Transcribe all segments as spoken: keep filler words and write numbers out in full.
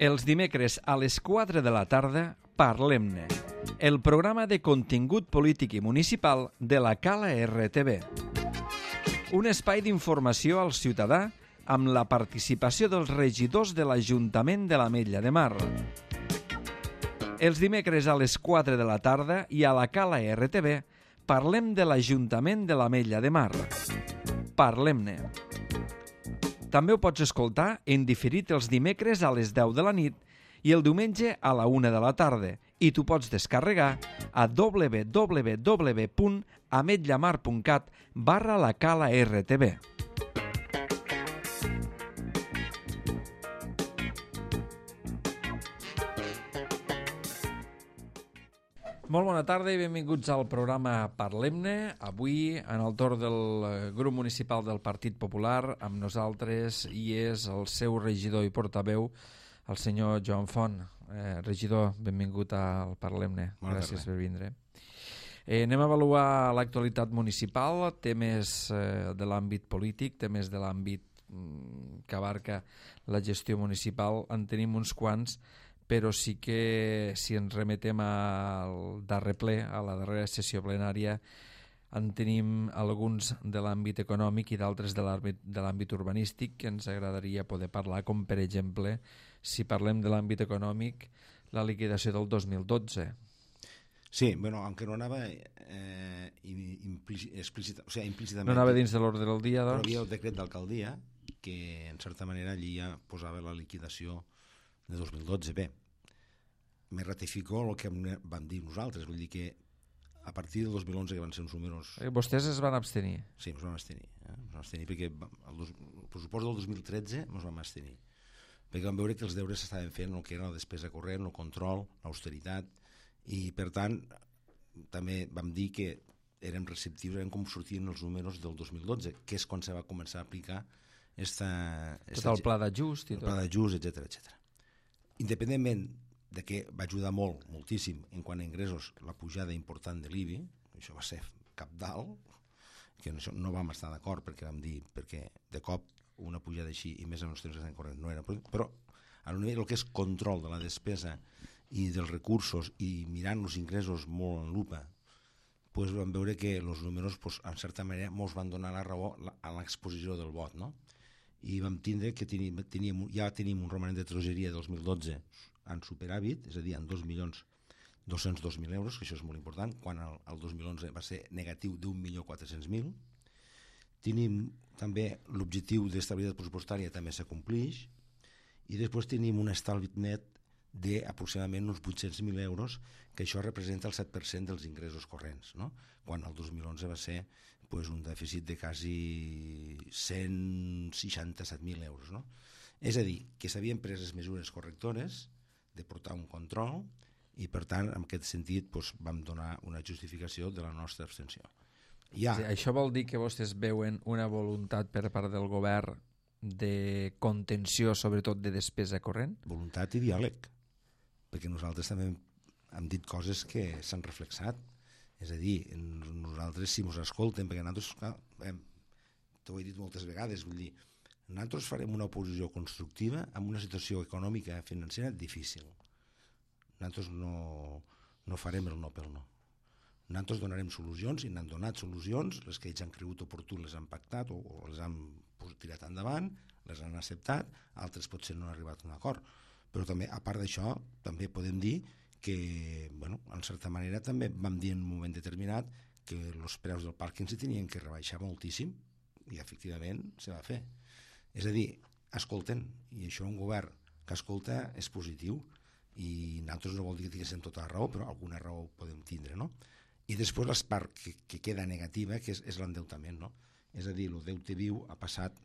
Els dimecres a les quatre de la tarda, Parlem-ne, el programa de contingut polític i municipal de la Cala R T V. Un espai d'informació al ciutadà amb la participació dels regidors de l'Ajuntament de l'Ametlla de Mar. Els dimecres a les quatre de la tarda i a la Cala R T V parlem de l'Ajuntament de l'Ametlla de Mar. Parlem-ne. També ho pots escoltar en diferit els dimecres a les deu de la nit i el diumenge a la una de la tarda i t'ho pots descarregar a w w w punt ametllamar punt cat barra la Cala R T V. Molt bona tarda i benvinguts al programa Parlem-ne. Avui, en el torn del grup municipal del Partit Popular, amb nosaltres hi és el seu regidor i portaveu, el senyor Joan Font. Eh, regidor, benvingut al Parlem-ne. Gràcies per vindre. Eh, anem a avaluar l'actualitat municipal, temes eh, de l'àmbit polític, temes de l'àmbit mm, que abarca la gestió municipal. En tenim uns quants, però sí que si ens remetem al darrer ple, a la darrera sessió plenària, en tenim alguns de l'àmbit econòmic i d'altres de l'àmbit urbanístic que ens agradaria poder parlar, com per exemple, si parlem de l'àmbit econòmic, la liquidació del dos mil dotze. Sí, bueno, aunque no anava eh, explícita, o sea, implícitament... No anava dins de l'ordre del dia, doncs? Però hi havia el decret d'alcaldia que, en certa manera, allí ja posava la liquidació de dos mil dotze. Bé, me ratifico el que vam dir nosaltres, vull dir que a partir del dos mil onze, que van ser uns números... Eh, vostès es van abstenir? Sí, ens vam abstenir, eh? ens vam abstenir perquè el, dos, el pressupost del dos mil tretze ens vam abstenir, perquè vam veure que els deures s'estaven fent el que era la despesa corrent, el control, l'austeritat, i per tant també vam dir que érem receptius, érem com sortien els números del dos mil dotze, que és quan se va començar a aplicar esta, esta, tot el pla d'ajust i tot. El pla d'ajust, etcètera, etcètera. Independentment de que va ajudar molt, moltíssim, en quant a ingressos, la pujada important de l'I B I, això va ser cabdal, que no, no vam estar d'acord perquè vam dir, perquè de cop una pujada així, i més en els temps que estan corrent, no era, però a nivell del que és control de la despesa i dels recursos i mirant els ingressos molt en lupa, pues vam veure que els números, pues, en certa manera, ens van donar la raó a l'exposició del vot, no? I vam tindre que teníem, teníem, ja tenim un romanent de tresoreria del dos mil dotze en superàvit, és a dir, en dos milions dos-cents dos mil euros, que això és molt important, quan el, el dos mil onze va ser negatiu d'un milió quatre-cents mil. Tenim també l'objectiu d'estabilitat pressupostària també s'acomplix, i després tenim un estalvi net d'aproximadament uns vuit-cents mil euros, que això representa el set per cent dels ingressos corrents, no? Quan el dos mil onze va ser pues, un dèficit de quasi cent seixanta-set mil euros. No? És a dir, que s'havien pres les mesures correctores de portar un control i, per tant, en aquest sentit pues, vam donar una justificació de la nostra abstenció. Ja... Sí, això vol dir que vostès veuen una voluntat per part del govern de contenció, sobretot de despesa corrent? Voluntat i diàleg, perquè nosaltres també hem dit coses que s'han reflexat. És a dir, nosaltres si ens escolten, perquè nosaltres, clar, t'ho he dit moltes vegades, vull dir, nosaltres farem una oposició constructiva amb una situació econòmica i financera difícil. Nosaltres no, no farem el no pel no. Nosaltres donarem solucions i n'han donat solucions, les que ells han cregut oportú les han pactat o, o les han tirat endavant, les han acceptat, altres potser no han arribat a un acord. Però també, a part d'això, també podem dir que, bueno, en certa manera també vam dir en un moment determinat que els preus del pàrquing se tenien que rebaixar moltíssim i efectivament se va fer. És a dir, escolten, i això un govern que escolta és positiu i nosaltres no vol dir que tinguéssim tota la raó, però alguna raó podem tindre, no? I després la part que, que queda negativa, que és, és l'endeutament, no? És a dir, el deute viu ha passat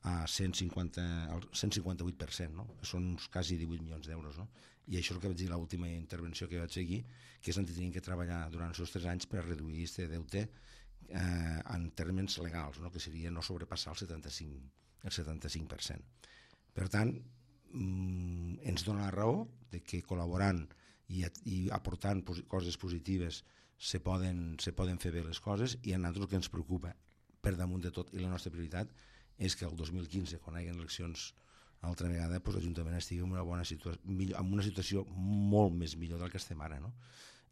a cent cinquanta, al cent cinquanta-vuit per cent, no? Són uns quasi divuit milions d'euros, no? I això és el que vaig dir a l'última intervenció que vaig seguir, que és on tenim que treballar durant els tres anys per reduir aquest deute eh, en termes legals, no? Que seria no sobrepassar el setanta-cinc, el setanta-cinc per cent. Per tant, mm, ens dona la raó de que col·laborant i, i aportant pos, coses positives se poden, se poden fer bé les coses, i a nosaltres el que ens preocupa per damunt de tot i la nostra prioritat és que el dos mil quinze, quan hi ha eleccions altra vegada pues, l'Ajuntament estigui en una, bona situació, millor, en una situació molt més millor del que estem ara, no?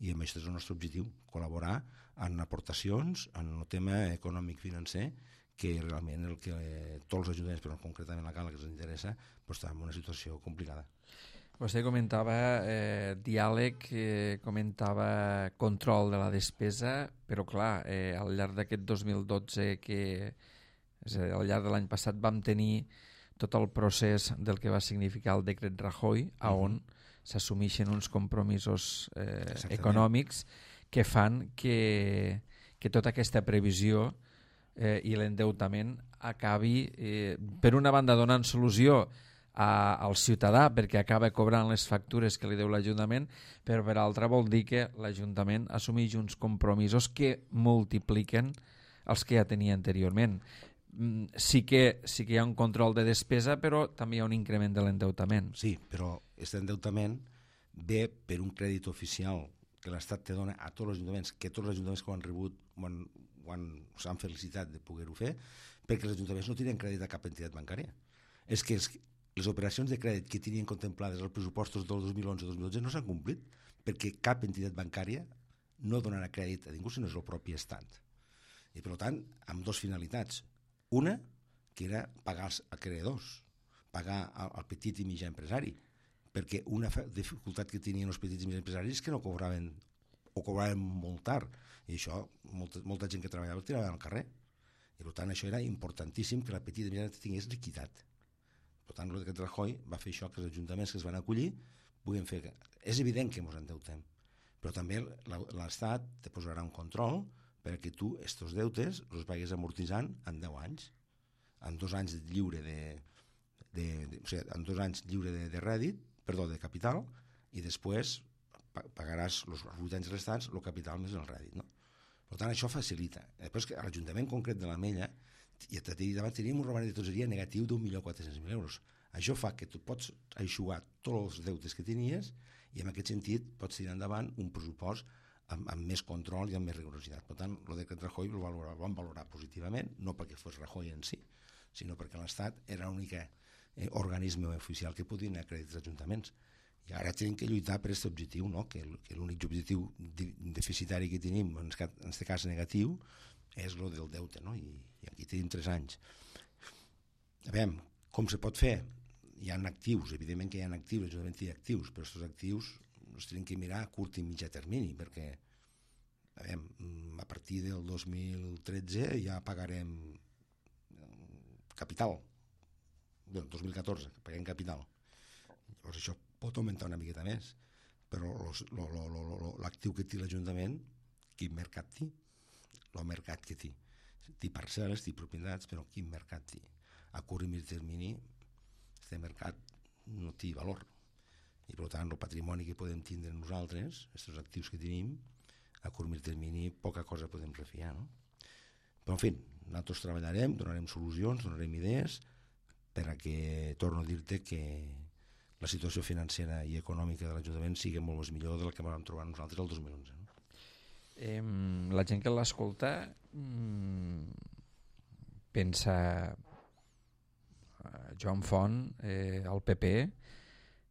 I amb això és el nostre objectiu, col·laborar en aportacions, en el tema econòmic-financer, que realment el que eh, tots els ajuntaments, però concretament la Cala que ens interessa, pues, està en una situació complicada. Vostè comentava eh, diàleg, eh, comentava control de la despesa, però clar, eh, al llarg d'aquest dos mil dotze, que és a dir, al llarg de l'any passat vam tenir tot el procés del que va significar el decret Rajoy, a on uh-huh. s'assumeixen uns compromisos eh, econòmics que fan que, que tota aquesta previsió eh, i l'endeutament acabi, eh, per una banda, donant solució a, al ciutadà perquè acaba cobrant les factures que li deu l'Ajuntament, però per altra vol dir que l'Ajuntament assumeix uns compromisos que multipliquen els que ja tenia anteriorment. Sí que, sí que hi ha un control de despesa, però també hi ha un increment de l'endeutament. Sí, però aquest endeutament ve per un crèdit oficial que l'Estat te dona a tots els ajuntaments, que tots els ajuntaments que ho han rebut ho han, ho han, s'han felicitat de poder-ho fer, perquè els ajuntaments no tenen crèdit a cap entitat bancària. És que els, les operacions de crèdit que tenien contemplades als pressupostos del dos mil onze dos mil dotze no s'han complit, perquè cap entitat bancària no donarà crèdit a ningú, sinó és el propi Estat. I per tant, amb dues finalitats. Una, que era pagar els acreedors, pagar al petit i mitjà empresari, perquè una dificultat que tenien els petits i mitjà empresaris és que no cobraven, o cobraven molt tard, i això, molta, molta gent que treballava tirava al carrer. I per tant, això era importantíssim que la petita i mitjà tingués liquiditat. Per tant, el decret Rajoy va fer això, que els ajuntaments que es van acollir puguin fer... És evident que ens endeutem, però també l'Estat te posarà un control perquè tu estos deutes els pagues amortitzant en deu anys, en dos anys lliure de, de, de, o sigui, en dos anys lliure de, de rèdit, perdó, de capital, i després pagaràs els vuit anys restants el capital més el rèdit, no? Per tant, això facilita. Després que a l'Ajuntament concret de l'Ametlla, i davant teníem un romanent de tesoreria negatiu d'un milió quatre-cents mil euros. Això fa que tu pots aixugar tots els deutes que tenies i en aquest sentit pots tirar endavant un pressupost Amb, amb més control i amb més rigorositat. Per tant, el decret Rajoy el valorar, vam valorar positivament, no perquè fos Rajoy en si, sinó perquè l'Estat era l'únic eh, organisme oficial que podien acreditar els ajuntaments. I ara tenim que lluitar per aquest objectiu, no? que, que l'únic objectiu deficitari que tenim, en aquest cas negatiu, és el del deute, no? I, i aquí tenim tres anys. A veure, com se pot fer? Hi ha actius, evidentment que hi ha actius, l'Ajuntament té actius, però aquests actius els tenim que mirar a curt i mitjà termini, perquè a, veure, a partir del dos mil tretze ja pagarem capital, bueno, dos mil catorze, paguem capital. Llavors això pot augmentar una miqueta més, però l'actiu que té l'Ajuntament, quin mercat té? El mercat que té. Té parcel·les, té propietats, però quin mercat té? A curt i mitjà termini, aquest mercat no té valor. I per tant el patrimoni que podem tindre nosaltres, aquests actius que tenim, a curt i termini poca cosa podem refiar, no? Però en fi, nosaltres treballarem, donarem solucions, donarem idees per a que, torno a dir-te que la situació financera i econòmica de l'Ajuntament sigui molt més millor del que vam trobar nosaltres el dos mil onze. No? Eh, la gent que l'escolta mmm, pensa eh, Joan Font, eh, el P P,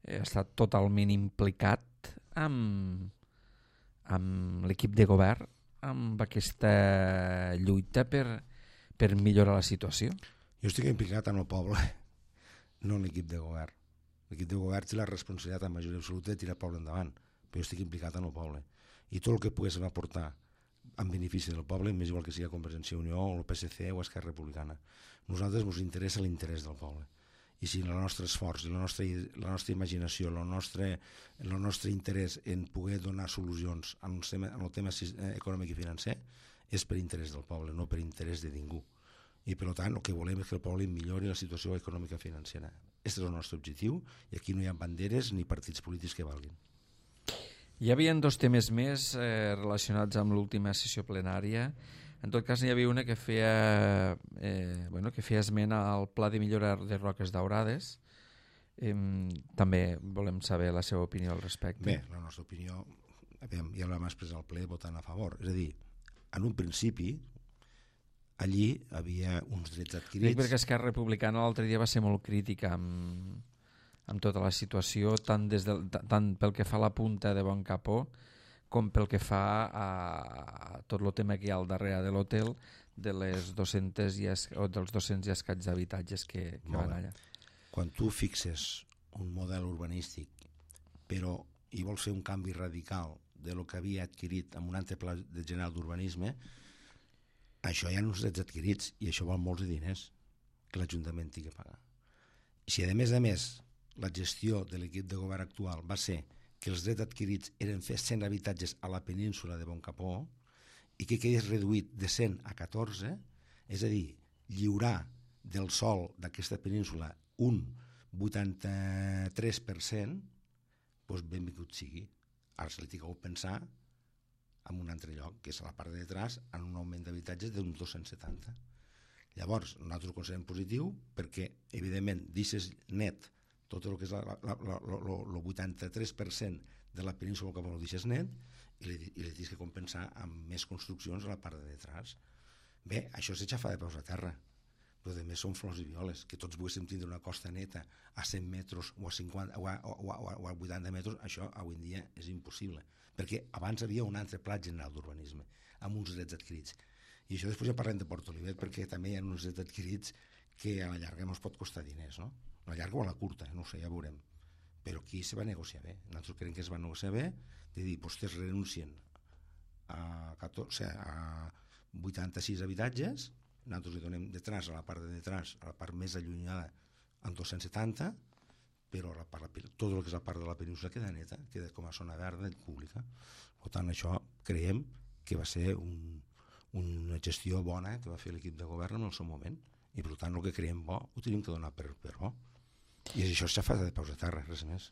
ha estat totalment implicat amb, amb l'equip de govern, amb aquesta lluita per, per millorar la situació. Jo estic implicat en el poble, no en l'equip de govern. L'equip de govern té la responsabilitat en majoria absoluta de tirar el poble endavant, però jo estic implicat en el poble. I tot el que pogués aportar en benefici del poble, més igual que sigui Convergència i Unió, o el P S C o Esquerra Republicana. Nosaltres ens interessa l'interès del poble. I si el nostre esforç, la nostra, la nostra imaginació, el nostre, el nostre interès en poder donar solucions en el tema, en el tema econòmic i financer és per interès del poble, no per interès de ningú. I per tant el que volem és que el poble millori la situació econòmica i financera. Aquest és el nostre objectiu i aquí no hi ha banderes ni partits polítics que valguin. Hi havia dos temes més eh, relacionats amb l'última sessió plenària. En tot cas, n'hi havia una que feia, eh, bueno, que feia esment al pla de millora de Roques Daurades. Eh, també volem saber la seva opinió al respecte. Bé, la nostra opinió, ja la vam expressar al ple votant a favor. És a dir, en un principi allí havia uns drets adquirits. Dic perquè Esquerra Republicana l'altre dia va ser molt crítica amb, amb tota la situació, tant, des de, tant pel que fa a la punta de Bon Capó com pel que fa a, a tot el tema que hi ha al darrere de l'hotel, de les dos-centes i es, o dels dos-cents i escaig d'habitatges que, que van allà. Quan tu fixes un model urbanístic però hi vols fer un canvi radical de lo que havia adquirit amb un altre pla de general d'urbanisme, això hi ha uns drets adquirits i això val molts diners que l'Ajuntament tingui que pagar. I si a més a més la gestió de l'equip de govern actual va ser que els drets adquirits eren fer cent habitatges a la península de Bon Capó i que quedés reduït de cent a catorze, és a dir, lliurar del sòl d'aquesta península un vuitanta-tres per cent, doncs benvingut sigui. Ara se li tingueu pensar en un altre lloc, que és a la part de detrás, en un augment d'habitatges d'uns dos-cents setanta. Llavors, nosaltres ho considerem positiu perquè, evidentment, deixes net tot el que és el vuitanta-tres per cent de la península que ho deixes net i li, i li tens que compensar amb més construccions a la part de detrás. Bé, això és aixafar de peus a terra, però a més són flors i violes, que tots volguéssim tindre una costa neta a cent metres o a, cinquanta, o a, o a, o a vuitanta metres, això avui en dia és impossible, perquè abans havia un altre pla general d'urbanisme, amb uns drets adquirits. I això després ja parlem de Port Olivet, perquè també hi ha uns drets adquirits que a la llarga no es pot costar diners, no? A la llarga o a la curta, no ho sé, ja veurem. Però aquí se va negociar bé. Nosaltres creiem que es va negociar bé, de dir, vostès renuncien a, catorze, a vuitanta-sis habitatges, nosaltres li donem detrás, a la part de detrás, a la part més allunyada, en dos-cents setanta, però la part, tot el que és la part de la península queda neta, queda com a zona verda i pública. Per tant, això creiem que va ser un, una gestió bona que va fer l'equip de govern en el seu moment, i per tant el que creiem bo ho tenim que donar per, per bo. I això s'ha fet de peus a terra, res més.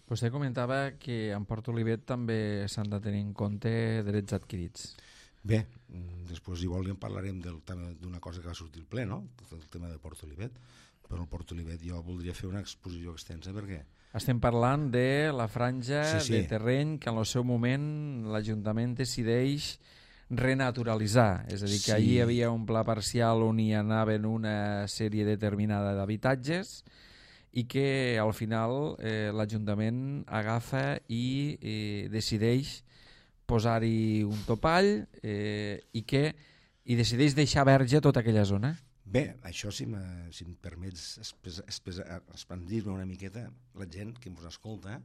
Vostè comentava que en Port Olivet també s'han de tenir en compte drets adquirits. Bé, després igual en parlarem d'una cosa que va sortir al ple, no? El tema de Port Olivet, però el Port Olivet jo voldria fer una exposició extensa perquè... Estem parlant de la franja sí, sí. de terreny que en el seu moment l'Ajuntament decideix renaturalitzar, és a dir, que sí. Allí hi havia un pla parcial on hi anaven una sèrie determinada d'habitatges i que al final eh, l'Ajuntament agafa i eh, decideix posar-hi un topall eh, i que i decideix deixar verge tota aquella zona. Bé, això si, si em permets expandir-me una miqueta, la gent que ens escolta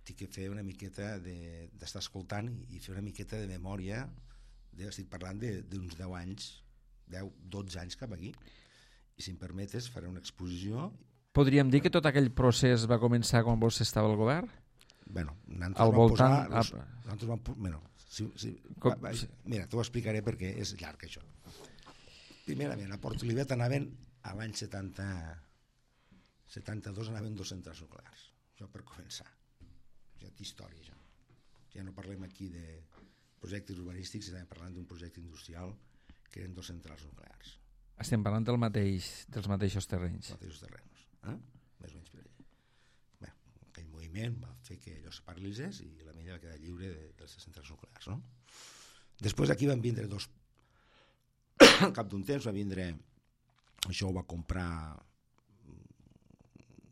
té que fer una miqueta d'estar de, escoltant i fer una miqueta de memòria, de, estic parlant d'uns deu anys, deu, dotze anys cap aquí, i si em permetes faré una exposició. Podríem dir que tot aquell procés va començar quan vostè estava al govern? Bueno, al voltant... Posar, los, nosaltres vam, bueno, si, si, Com... va, va, mira, t'ho explicaré perquè és llarg això. Primerament, a Port Olivet anaven a l'any setanta, setanta-dos anaven dos centrals nuclears. Això per començar. Ja té història, ja. Ja no parlem aquí de projectes urbanístics, estem parlant d'un projecte industrial que eren dos centrals nuclears. Estem parlant del mateix, dels mateixos terrenys. Els mateixos terrenys, eh? Més o menys per allà. Bé, aquell moviment va fer que allò es paralitzés i la milla va quedar lliure de, de les centrals nuclears, no? Després aquí van vindre dos... Al cap d'un temps va vindre... Això ho va comprar...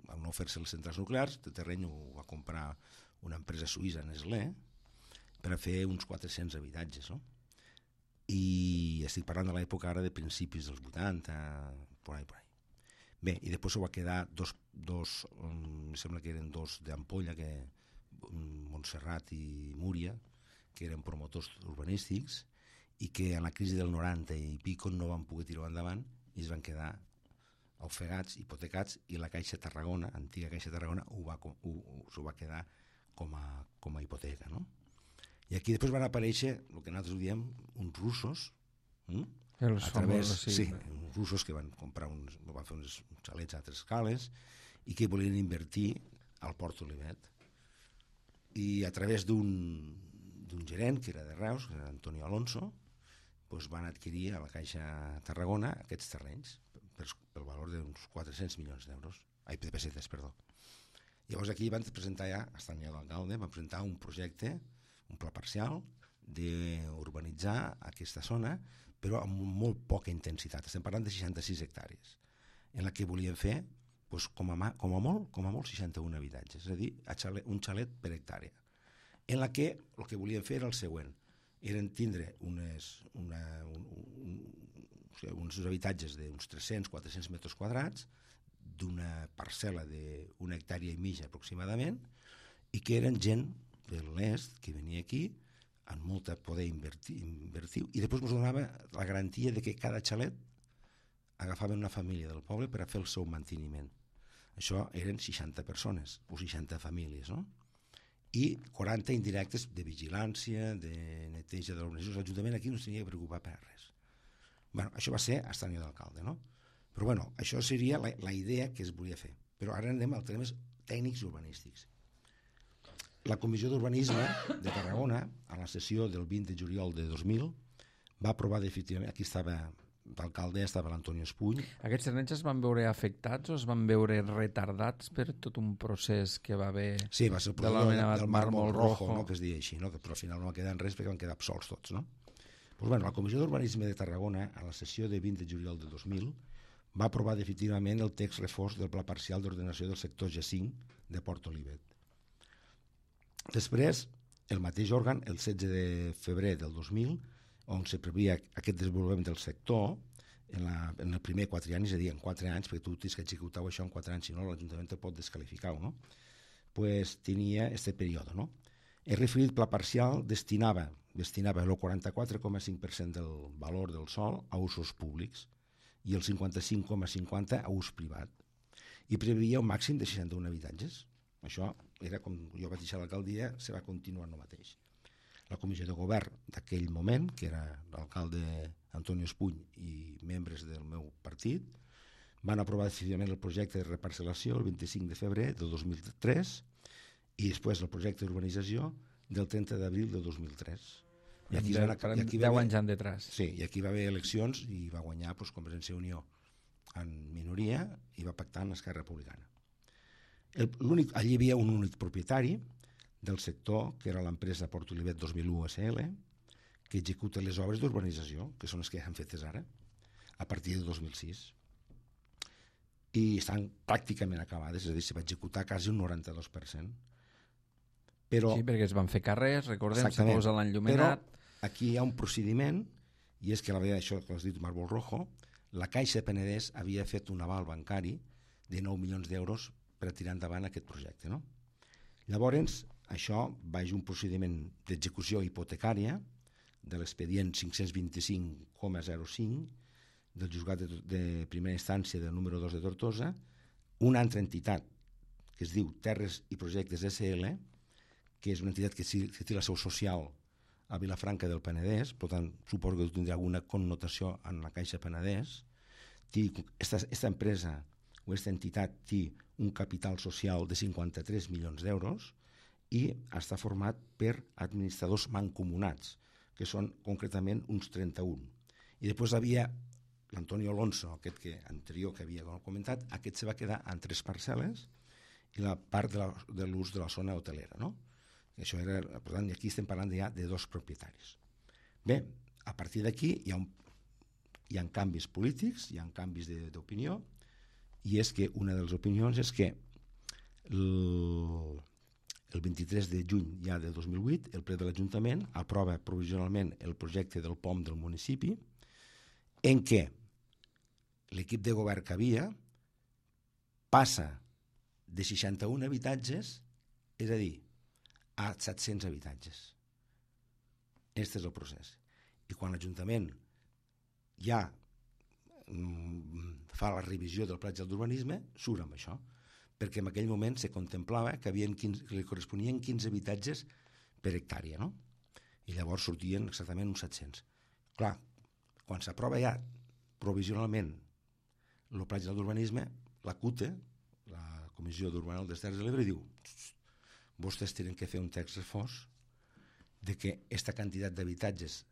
Van no fer-se les centrals nuclears, el terreny ho va comprar una empresa suïssa, Nestlé, per a fer uns quatre-cents habitatges, no? I estic parlant de l'època ara de principis dels vuitanta, por ahí, por ahí. Bé, i després ho va quedar dos, dos um, em sembla que eren dos d'Ampolla, que Montserrat i Múria, que eren promotors urbanístics i que en la crisi del noranta i pico no van poder tirar endavant i es van quedar ofegats, hipotecats, i la Caixa Tarragona, antiga Caixa Tarragona, ho va, ho, ho va quedar com a, com a hipoteca, no? I aquí després van aparèixer, el que nosaltres diem, uns russos, hm? Els a través, famosos, sí. sí, uns russos que van comprar uns, van fer uns xalets a altres escales i que volien invertir al Port Olivet. I a través d'un d'un gerent, que era de Reus, que era Antonio Alonso, doncs van adquirir a la Caixa Tarragona aquests terrenys per, pel valor d'uns quatre-cents milions d'euros, ai, de pessetes, perdó. Llavors aquí van presentar ja, estant ja l'alcalde, van presentar un projecte, un pla parcial, d'urbanitzar aquesta zona però amb molt poca intensitat. Estem parlant de seixanta-sis hectàrees, en la que volien fer, doncs, com, a, com a molt, com a molt seixanta-un habitatges, és a dir, un xalet per hectàrea, en la que el que volien fer era el següent, eren tindre unes, una, un, un, o sigui, uns habitatges d'uns tres-cents a quatre-cents metres quadrats, d'una parcel·la d'una hectàrea i mitja aproximadament, i que eren gent de l'est que venia aquí amb molta poder invertir, invertir i després ens donava la garantia de que cada xalet agafaven una família del poble per a fer el seu manteniment. Això eren seixanta persones o seixanta famílies, no? I quaranta indirectes de vigilància, de neteja de l'organització. L'Ajuntament aquí no s'havia de preocupar per res. Bueno, això va ser hasta l'any d'alcalde, no? Però bueno, això seria la, la idea que es volia fer. Però ara anem als temes tècnics i urbanístics. La Comissió d'Urbanisme de Tarragona, a la sessió del vint de juliol de dos mil, va aprovar definitivament, aquí estava d'alcalde, estava l'Antonio Espuny. Aquests terrenys es van veure afectats o es van veure retardats per tot un procés que va haver sí, va ser el de l'anomenat del mármol rojo, no, que es deia així, no? Que, però al final no va quedar en res perquè van quedar absolts tots, no? Pues bueno, la Comissió d'Urbanisme de Tarragona, a la sessió de vint de juliol de dos mil, va aprovar definitivament el text reforç del Pla Parcial d'Ordenació del Sector G cinc de Port Olivet. Després, el mateix òrgan, el setze de febrer del dos mil, on se previa aquest desenvolupament del sector, en, la, en el primer quatre anys, és a dir, en quatre anys, perquè tu tens que executar això en quatre anys, si no l'Ajuntament te pot descalificar, no? Pues tenia este període, no? El referit pla parcial destinava, destinava el quaranta-quatre coma cinc per cent del valor del sòl a usos públics i el cinquanta-cinc coma cinquanta a ús privat, i preveia un màxim de seixanta-un habitatges. Això era com jo vaig deixar l'alcaldia, se va continuar no mateix. La comissió de govern d'aquell moment, que era l'alcalde Antonio Espuny i membres del meu partit, van aprovar definitivament el projecte de reparcel·lació el vint-i-cinc de febrer del dos mil tres i després el projecte d'urbanització del trenta d'abril del dos mil tres. I aquí, de, i aquí deu anys han detrás. Sí, i aquí va haver eleccions i va guanyar doncs, Convergència i Unió en minoria i va pactar amb Esquerra Republicana. El, allí hi havia un únic propietari del sector, que era l'empresa Port Olivet dos mil u S L, que executa les obres d'urbanització, que són les que han fetes ara, a partir de dos mil sis. I estan pràcticament acabades, és a dir, se va executar quasi un noranta-dos per cent. Però, sí, perquè es van fer carrers, recordem, se posa l'enllumenat. Però aquí hi ha un procediment, i és que la veritat, això que has dit, Mármol Rojo, la Caixa Penedès havia fet un aval bancari de nou milions d'euros per a tirar endavant aquest projecte, no? Llavors, això va ser un procediment d'execució hipotecària de l'expedient cinc-cents vint-i-cinc coma zero cinc del juzgat de, de primera instància del número dos de Tortosa, una altra entitat que es diu Terres i Projectes S L, que és una entitat que, que té la seu social a Vilafranca del Penedès, per tant, suposo que tindrà alguna connotació en la Caixa Penedès. Aquesta empresa o aquesta entitat té un capital social de cinquanta-tres milions d'euros i està format per administradors mancomunats, que són concretament uns trenta-un. I després havia l'Antonio Alonso, aquest que anterior que havia comentat, aquest se va quedar en tres parcel·les i la part de l'ús de la zona hotelera, no? Això era, per tant, aquí estem parlant ja de dos propietaris. Bé, a partir d'aquí hi ha, un, hi ha canvis polítics, hi ha canvis d'opinió, i és que una de les opinions és que el, el vint-i-tres de juny ja del dos mil vuit el ple de l'Ajuntament aprova provisionalment el projecte del P O M del municipi, en què l'equip de govern que havia passa de seixanta-un habitatges, és a dir, a set-cents habitatges. Aquest és el procés. I quan l'Ajuntament ja fa la revisió del pla d'urbanisme, surt amb això, perquè en aquell moment se contemplava que, havien quinze, que li corresponien quinze habitatges per hectàrea, no? I llavors sortien exactament uns set-cents. Clar, quan s'aprova ja provisionalment el pla d'urbanisme, la C U T E, la Comissió d'Urbanisme de les Terres de l'Ebre, diu: vostès tenen que fer un text reforç de que aquesta quantitat d'habitatges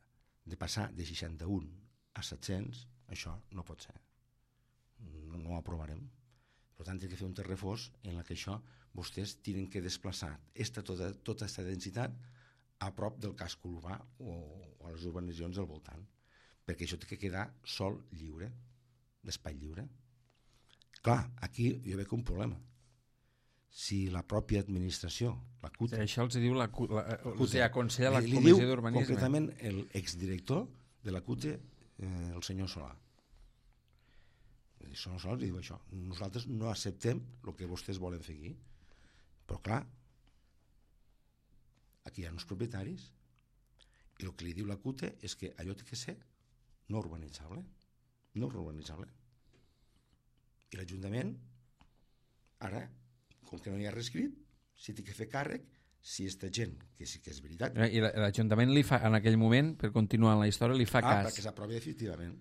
de passar de seixanta-un a set-cents, això no pot ser. No, no ho aprovarem. Per tant, tenen que fer un text reforç en què això vostès tenen que desplaçar esta, tota aquesta densitat a prop del casc urbà o, o a les urbanitzacions del voltant. perquè això té que quedar sol lliure, d'espai lliure. Clar, aquí jo veig un problema. Si la pròpia administració, la C U T... Sí, això els diu la C U T, la, la o sigui, aconsella la li, li Comissió diu d'Urbanisme. concretament l'exdirector de la C U T, eh, el senyor Solà. El senyor Solà li diu això. Nosaltres no acceptem el que vostès volen fer aquí. Però clar, aquí hi ha uns propietaris i el que li diu la C U T és que allò té que ser no urbanitzable. No urbanitzable. I l'Ajuntament, ara, com que no hi ha reescrit, si té que fer càrrec, si aquesta gent, que sí que és veritat... I l'Ajuntament li fa, en aquell moment, per continuar en la història, li fa ah, cas. perquè s'aprovi definitivament.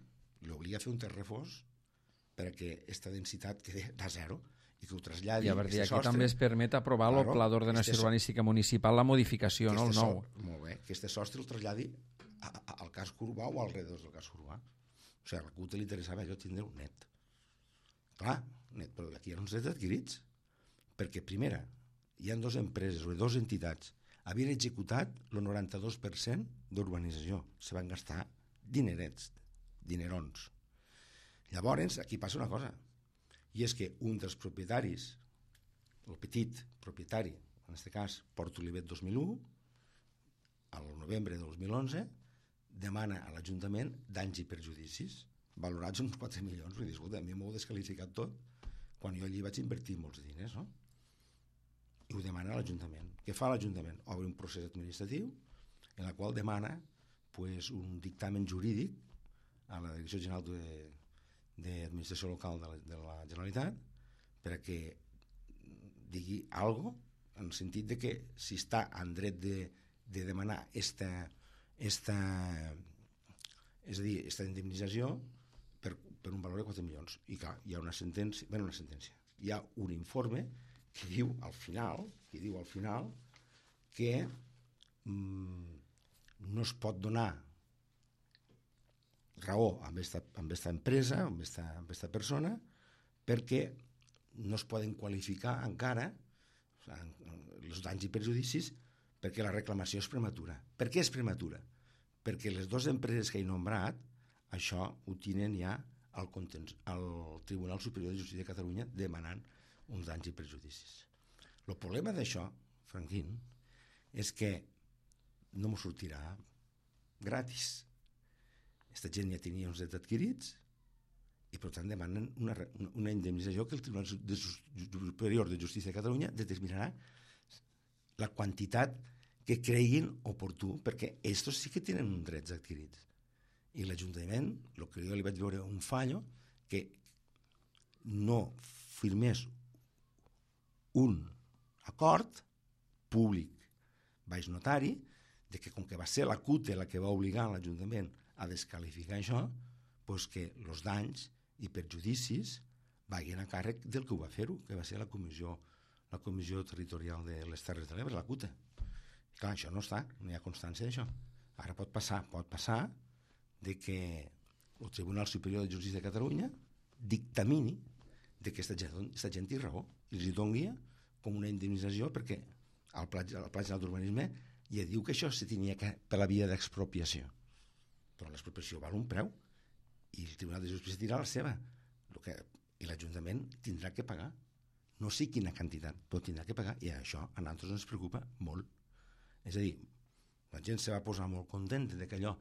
L'obliga a fer un terrefós perquè aquesta densitat quedi a zero i que ho traslladi... I a veure, aquí sostre, també es permet aprovar claro, el Pla d'Ordenació este, Urbanística Municipal, la modificació, no el nou. So, molt bé, que este sostre el traslladi a, a, al casc urbà o al redor del casc urbà. O sigui, a la C U T li interessava allò tindre un net. Clar, net, però aquí hi ha uns drets adquirits. Perquè, primera, hi ha dues empreses o dues entitats havien executat el noranta-dos per cent d'urbanització. Se van gastar dinerets, dinerons. Llavors, aquí passa una cosa, i és que un dels propietaris, el petit propietari, en aquest cas Port Olivet dos mil u, al novembre de dos mil onze, demana a l'Ajuntament danys i perjudicis, valorats uns quatre milions. Vull dir, escolta, a mi m'ho heu desqualificat tot, quan jo allí vaig invertir molts diners, no? I ho demana a l'Ajuntament. Què fa l'Ajuntament? Obre un procés administratiu en el qual demana pues, un dictamen jurídic a la Direcció General d'Administració Local de la, de la Generalitat perquè digui alguna cosa en el sentit de que si està en dret de, de demanar esta, esta, és a dir, esta indemnització per, per un valor de quatre milions. I clar, hi ha una sentència, bueno, una sentència, hi ha un informe que diu al final, que diu al final que mm, no es pot donar raó amb esta, amb esta empresa, amb esta, amb esta persona, perquè no es poden qualificar encara o sigui, els danys i perjudicis perquè la reclamació és prematura. Per què és prematura? Perquè les dues empreses que he nombrat, això ho tenen ja al, al Tribunal Superior de Justícia de Catalunya demanant uns danys i perjudicis. El problema d'això, Franquín, és que no m'ho sortirà gratis. Aquesta gent ja tenia uns drets adquirits i per tant demanen una, una indemnització que el Tribunal Superior de Justícia de Catalunya determinarà la quantitat que creguin oportú, perquè estos sí que tenen uns drets adquirits. I l'Ajuntament, el que jo li vaig veure un fallo, que no firmés un acord públic baix notari de que com que va ser la C U T la que va obligar l'Ajuntament a desqualificar això, doncs que els danys i perjudicis vagin a càrrec del que ho va fer-ho, que va ser la comissió, la comissió territorial de les Terres de l'Ebre, la C U T. I clar, això no està, no hi ha constància d'això. Ara pot passar, pot passar de que el Tribunal Superior de Justícia de Catalunya dictamini de que aquesta gent, aquesta gent té raó i els hi doni com una indemnització perquè al Pla, al Pla General d'Urbanisme ja diu que això se tenia que per la via d'expropiació, però l'expropiació val un preu i el Tribunal de Justícia dirà la seva el que, i l'Ajuntament tindrà que pagar, no sé quina quantitat, però tindrà que pagar, i això a nosaltres ens preocupa molt. És a dir, la gent se va posar molt contenta de que allò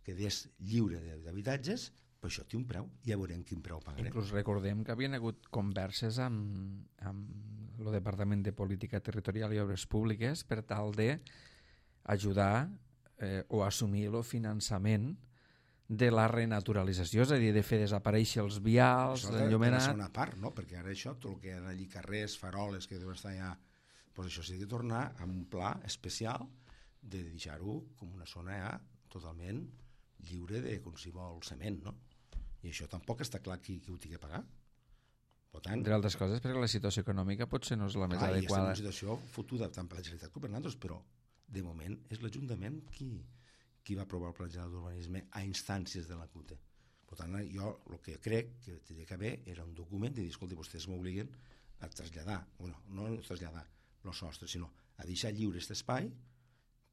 quedés lliure d'habitatges, però això té un preu, ja veurem quin preu pagarem. Inclús recordem que havien hagut converses amb, amb el Departament de Política Territorial i Obres Públiques per tal de ajudar eh, o assumir el finançament de la renaturalització, és a dir, de fer desaparèixer els vials, l'enllumenat... Això és una part, no? Perquè ara això, tot el que hi ha allí, carrers, faroles, que deuen estar allà, doncs això s'ha de tornar amb un pla especial de deixar-ho com una zona ja totalment lliure de qualsevol cement, no? I això tampoc està clar qui, qui ho tingui que pagar. Per tant, entre altres coses, perquè la situació econòmica potser no és la més clar, adequada. I és una situació fotuda tant per la Generalitat com per nosaltres, però de moment és l'Ajuntament qui, qui va aprovar el Pla General d'Urbanisme a instàncies de la C U T. Per tant, jo el que crec que tenia que haver era un document de dir, escolta, vostès m'obliguen a traslladar, bueno, no a traslladar el sostre, sinó a deixar lliure aquest espai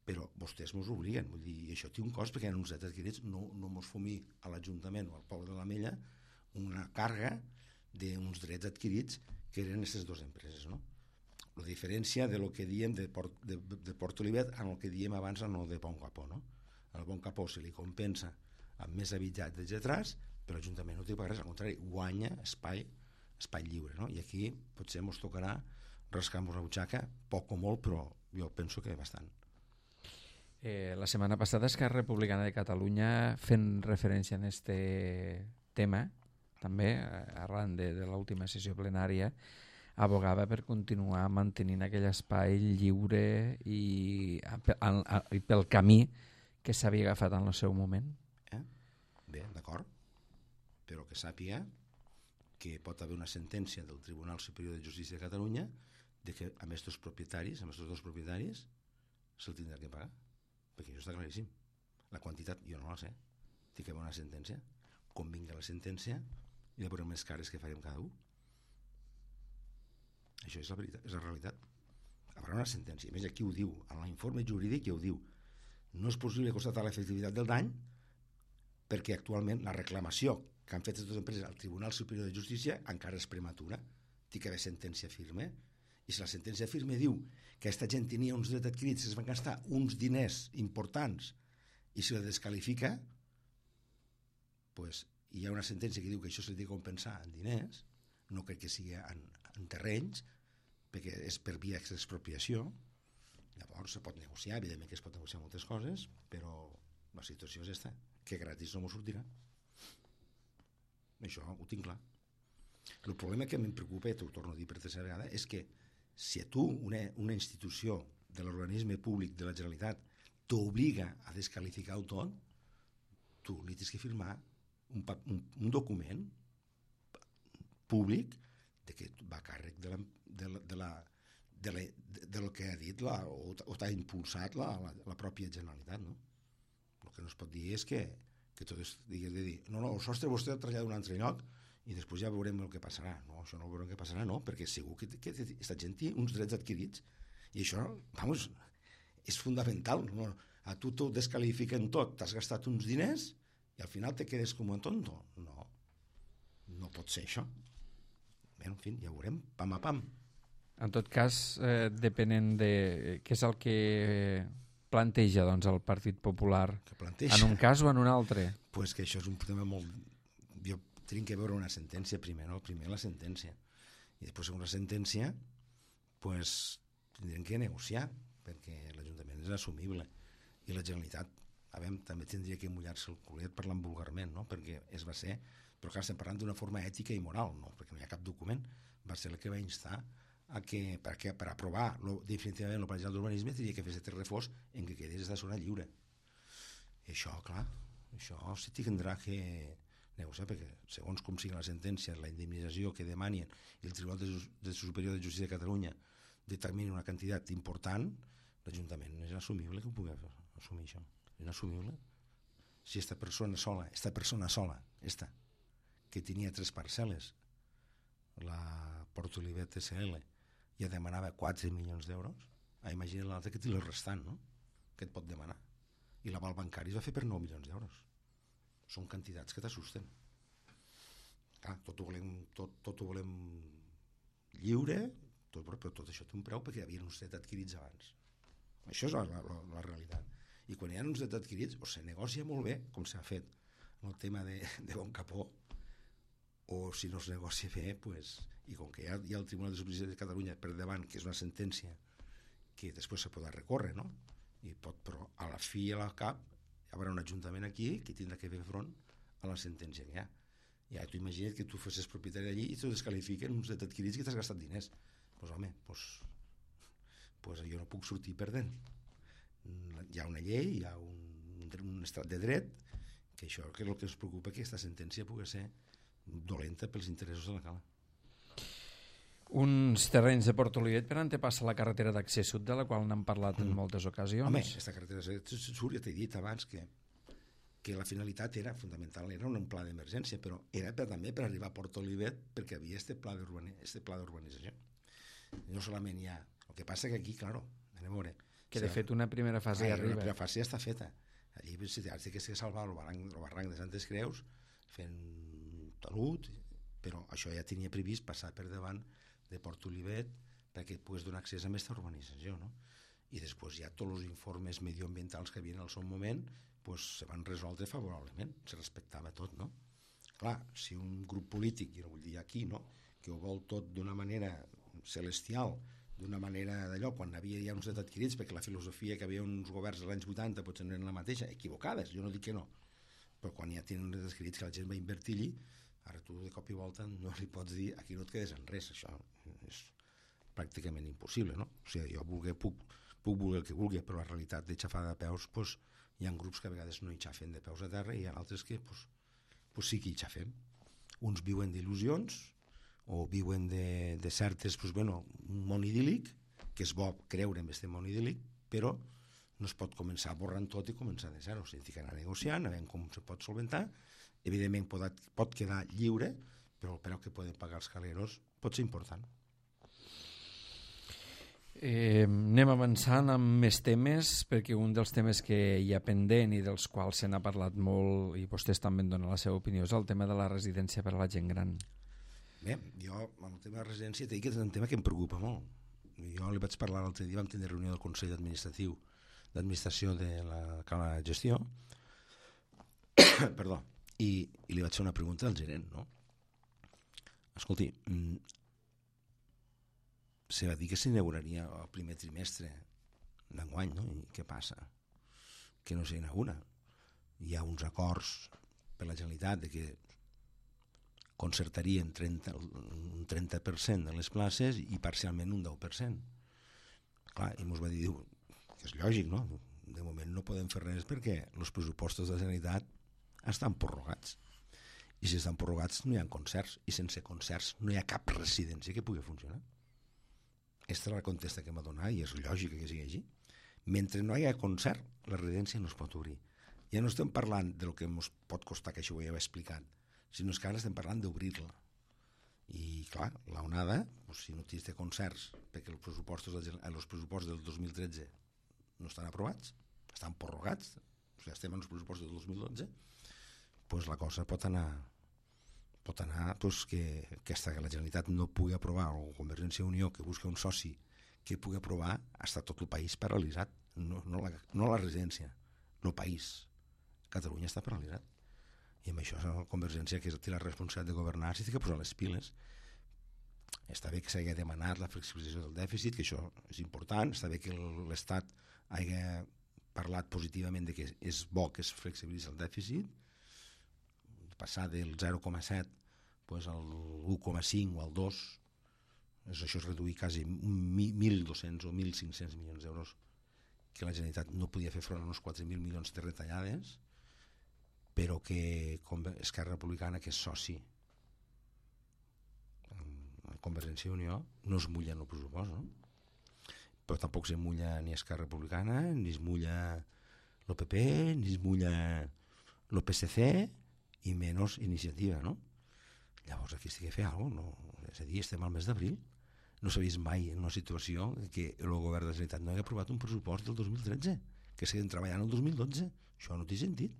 però vostès mos obliguen, vull dir, i això té un cost perquè hi ha uns drets adquirits, no, no mos fumi a l'Ajuntament o al poble de l'Ametlla una càrrega d'uns drets adquirits que eren aquestes dues empreses, no? La diferència de lo que diem de Port, de, de Port Olivet amb el que diem abans en el de Bon Capó, no? Al Bon Capó se li compensa amb més habitatges detrás, però l'Ajuntament no té per res, al contrari, guanya espai, espai lliure, no? I aquí potser ens tocarà rascar-nos la butxaca, poc o molt, però jo penso que bastant. Eh, la setmana passada Esquerra Republicana de Catalunya, fent referència a este tema, també, arran de, de l'última sessió plenària, abogava per continuar mantenint aquell espai lliure i, a, a, i pel camí que s'havia agafat en el seu moment. Eh? Bé, d'acord, però que sàpiga que pot haver una sentència del Tribunal Superior de Justícia de Catalunya de que amb aquests propietaris, amb aquests dos propietaris, se'l tindrà que pagar, perquè això està claríssim. La quantitat jo no la sé, té que haver una sentència, com vingui la sentència i la veurem més cares que farem cada un. Això és la veritat, és la realitat. Hi haurà una sentència, a més aquí ho diu, en l'informe jurídic ja ho diu, no és possible constatar l'efectivitat del dany perquè actualment la reclamació que han fet les dues empreses al Tribunal Superior de Justícia encara és prematura, té que haver sentència firme, i si la sentència firme diu que aquesta gent tenia uns drets adquirits que es van gastar uns diners importants i si la descalifica, pues, hi ha una sentència que diu que això s'ha de compensar en diners, no crec que sigui en, en terrenys, perquè és per via d'expropiació. Llavors se pot negociar, evidentment que es pot negociar moltes coses, però la situació és aquesta, que gratis no m'ho sortirà. Això ho tinc clar. El problema que em preocupa, i t'ho torno a dir per tercera vegada, és que si a tu una, una institució de l'organisme públic de la Generalitat t'obliga a descalificar-ho tot, tu li tens que firmar un, un, un document públic de que va a càrrec de la, de la, de la, de la, de, de lo que ha dit la, o, o t'ha impulsat la, la, la pròpia Generalitat, no? El que no es pot dir és que, que tot es digui de dir, no, no, el sostre vostè el trasllada d'un altre lloc i després ja veurem el que passarà. No, això no veurem el que passarà, no, perquè segur que, que aquesta gent té uns drets adquirits i això, vamos, és fundamental, no? A tu t'ho descalifiquen tot, t'has gastat uns diners i al final te quedes com un tonto. No, no pot ser això. Bé, en fi, ja ho veurem, pam a pam. En tot cas, eh, depenent de què és el que planteja doncs, el Partit Popular, que planteja? En un cas o en un altre? Pues que això és un tema molt... Jo tinc que veure una sentència primer, no? Primer la sentència. I després, segons la sentència, pues, tindrem que negociar, perquè l'Ajuntament és assumible. I la Generalitat, a veure, també tindria que mullar-se el culet parlant vulgarment, no? Perquè es va ser... Però clar, estem parlant d'una forma ètica i moral, no? Perquè no hi ha cap document. Va ser el que va instar a que, perquè per aprovar lo, definitivament el pla d'urbanisme tindria que fer aquest reforç en què quedés de zona lliure. I això, clar, això se tindrà que negociar, perquè segons com sigui la sentència, la indemnització que demanin i el Tribunal de, de Superior de Justícia de Catalunya determini una quantitat important, l'Ajuntament és assumible que ho pugui assumir això. És inassumible. Si esta persona sola, esta persona sola, esta, que tenia tres parcel·les, la Port Olivet S L, ja demanava quatre milions d'euros, imagina l'altre que té el restant, no? Que et pot demanar. I l'aval bancari es va fer per nou milions d'euros. Són quantitats que t'assusten. Clar, tot ho volem, tot, tot ho volem lliure, tot, però tot això té un preu perquè hi havia uns drets adquirits abans. Això és la, la, la realitat. I quan hi ha uns drets adquirits, o se negocia molt bé, com s'ha fet en el tema de, de Bon Capó, o si no es negocia bé, pues, i com que hi ha, hi ha el Tribunal de Justícia de Catalunya per davant, que és una sentència que després se podrà recórrer, no? I pot, però a la fi i a la cap hi haurà un ajuntament aquí que tindrà que fer front a la sentència que hi ha. Ja t'ho imagina't que tu fossis propietari d'allí i t'ho descalifiquen uns drets adquirits que t'has gastat diners. Doncs pues, home, pues, pues jo no puc sortir perdent. Hi ha una llei, hi ha un, un estat de dret, que això que és el que ens preocupa, que aquesta sentència pugui ser dolenta pels interessos de la cala. Uns terrenys de Port Olivet per on te passa la carretera d'accés sud, de la qual n'hem parlat en moltes ocasions. Home, aquesta carretera d'accés sud, ja t'he dit abans que, que la finalitat era fonamental, era un pla d'emergència, però era per, també per arribar a Port Olivet perquè havia este pla d'urbanització. No solament hi ha... El que passa que aquí, claro, anem a veure, Que de fet una primera fase ja arriba. Una primera fase ja està feta. Allí has de salvar el barranc, el barranc de Santes Creus fent talut, però això ja tenia previst passar per davant de Port Olivet perquè pogués donar accés a aquesta urbanització, no? I després ja tots els informes medioambientals que havien al seu moment pues, se van resoldre favorablement, se respectava tot, no? Clar, si un grup polític, i no vull dir aquí, no?, que ho vol tot d'una manera celestial, d'una manera d'allò, quan havia ja uns drets adquirits, perquè la filosofia que havia uns governs als anys vuitanta potser no eren la mateixa, equivocades, jo no dic que no, però quan ja tenen drets adquirits que la gent va invertir-hi, ara tu de cop i volta no li pots dir aquí no et quedes en res, això és pràcticament impossible, no? O sigui, jo vulgui, puc, puc voler el que vulgui, però la realitat de xafar de peus, pues, hi ha grups que a vegades no hi xafen de peus a terra i hi ha altres que pues, pues sí que hi xafem. Uns viuen d'il·lusions o viuen de, de certes, pues, bueno, un món idíl·lic, que és bo creure en aquest món idíl·lic, però no es pot començar borrant tot i començar de zero. O sigui, que anar negociant, a veure com se pot solventar. Evidentment pot, pot quedar lliure, però el preu que poden pagar els caleros pot ser important. Eh, anem avançant amb més temes, perquè un dels temes que hi ha pendent i dels quals se n'ha parlat molt i vostès també en donen la seva opinió és el tema de la residència per a la gent gran. Bé, jo amb el tema de la residència t'he dit que és un tema que em preocupa molt. Jo li vaig parlar l'altre dia, vam tenir reunió del Consell Administratiu d'Administració de la Cala de Gestió perdó, i, i li vaig fer una pregunta al gerent, no? Escolti, se va dir que s'inauguraria el primer trimestre d'enguany, no? I què passa? Que no s'inaugura. Hi ha uns acords per la Generalitat de que concertarien trenta, un trenta per cent de les places i parcialment un deu per cent. Clar, i ens va dir que és lògic, no? De moment no podem fer res perquè els pressupostos de la Generalitat estan prorrogats. I si estan prorrogats no hi ha concerts, i sense concerts no hi ha cap residència que pugui funcionar. Aquesta és la contesta que m'ha donat i és lògica que sigui així. Mentre no hi ha concert, la residència no es pot obrir. Ja no estem parlant del que ens pot costar, que això ho ja he explicat, sinó que ara estem parlant d'obrir-la. I clar, l'onada, doncs, si no tens de concerts, perquè els pressupostos, els pressupostos del dos mil tretze no estan aprovats, estan prorrogats, o sigui, estem en els pressupostos del dos mil dotze, doncs la cosa pot anar pot anar doncs, que aquesta que la Generalitat no pugui aprovar, o Convergència i Unió que busca un soci que pugui aprovar, està tot el país paralitzat, no, no, la, no la residència, no el país. Catalunya està paralitzat. I amb això la Convergència, que té la responsabilitat de governar, s'ha de posar les piles. Està bé que s'hagi demanat la flexibilització del dèficit, que això és important, està bé que l'Estat hagi parlat positivament de que és bo que es flexibilitzi el dèficit, passar del zero coma set pues, al u coma cinc o al dos, això és reduir quasi mil dos-cents o mil cinc-cents milions d'euros que la Generalitat no podia fer front a uns quatre mil milions de retallades, però que Esquerra Republicana, que és soci en Convergència i Unió, no es mulla en el pressupost, no? Però tampoc se mulla ni Esquerra Republicana, ni es mulla l'O P P, ni es mulla l'O P S C, i menys iniciativa, no? Llavors aquí s'ha de fer alguna cosa, no? És a dir, estem al mes d'abril, no s'ha vist mai en una situació que el govern de la Generalitat no hagi aprovat un pressupost del dos mil tretze, que seguim treballant el dos mil dotze, això no té sentit.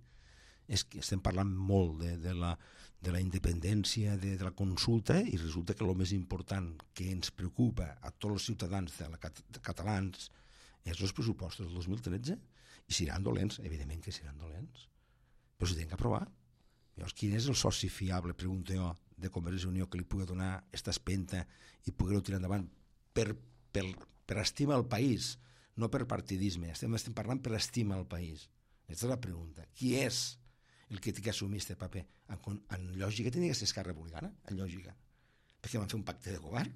És que estem parlant molt de, de, la, de la independència, de, de la consulta, i resulta que el més important que ens preocupa a tots els ciutadans de la, de catalans és els pressupostos del dos mil tretze, i seran dolents, evidentment que seran dolents, però s'hi tenen que aprovar. Llavors, quin és el soci fiable, pregunto jo, de Convergència i Unió que li pugui donar aquesta espenta i poder-ho tirar endavant per, per, per estimar el país, no per partidisme, estem, estem parlant per estimar el país. Aquesta és la pregunta. Qui és el que té que assumir aquest paper? En, en lògica tenia que ser Esquerra Republicana, en lògica, perquè van fer un pacte de govern,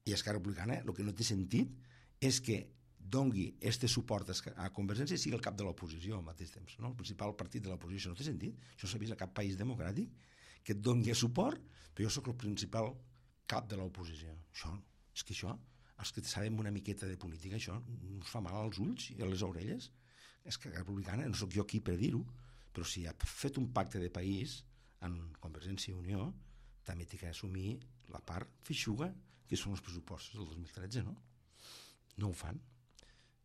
i Esquerra Republicana el que no té sentit és que dongui este suport a Convergència i sigui el cap de l'oposició al mateix temps, no? El principal partit de l'oposició. No té sentit. Això s'ha vist a cap país democràtic, que et dongui suport, però jo sóc el principal cap de l'oposició. Això, és que això, els que sabem una miqueta de política, això ens fa mal als ulls i a les orelles. És que la republicana, no sóc jo aquí per dir-ho, però si ha fet un pacte de país en Convergència i Unió, també té que assumir la part feixuga, que són els pressupostos del dos mil tretze, no? No ho fan.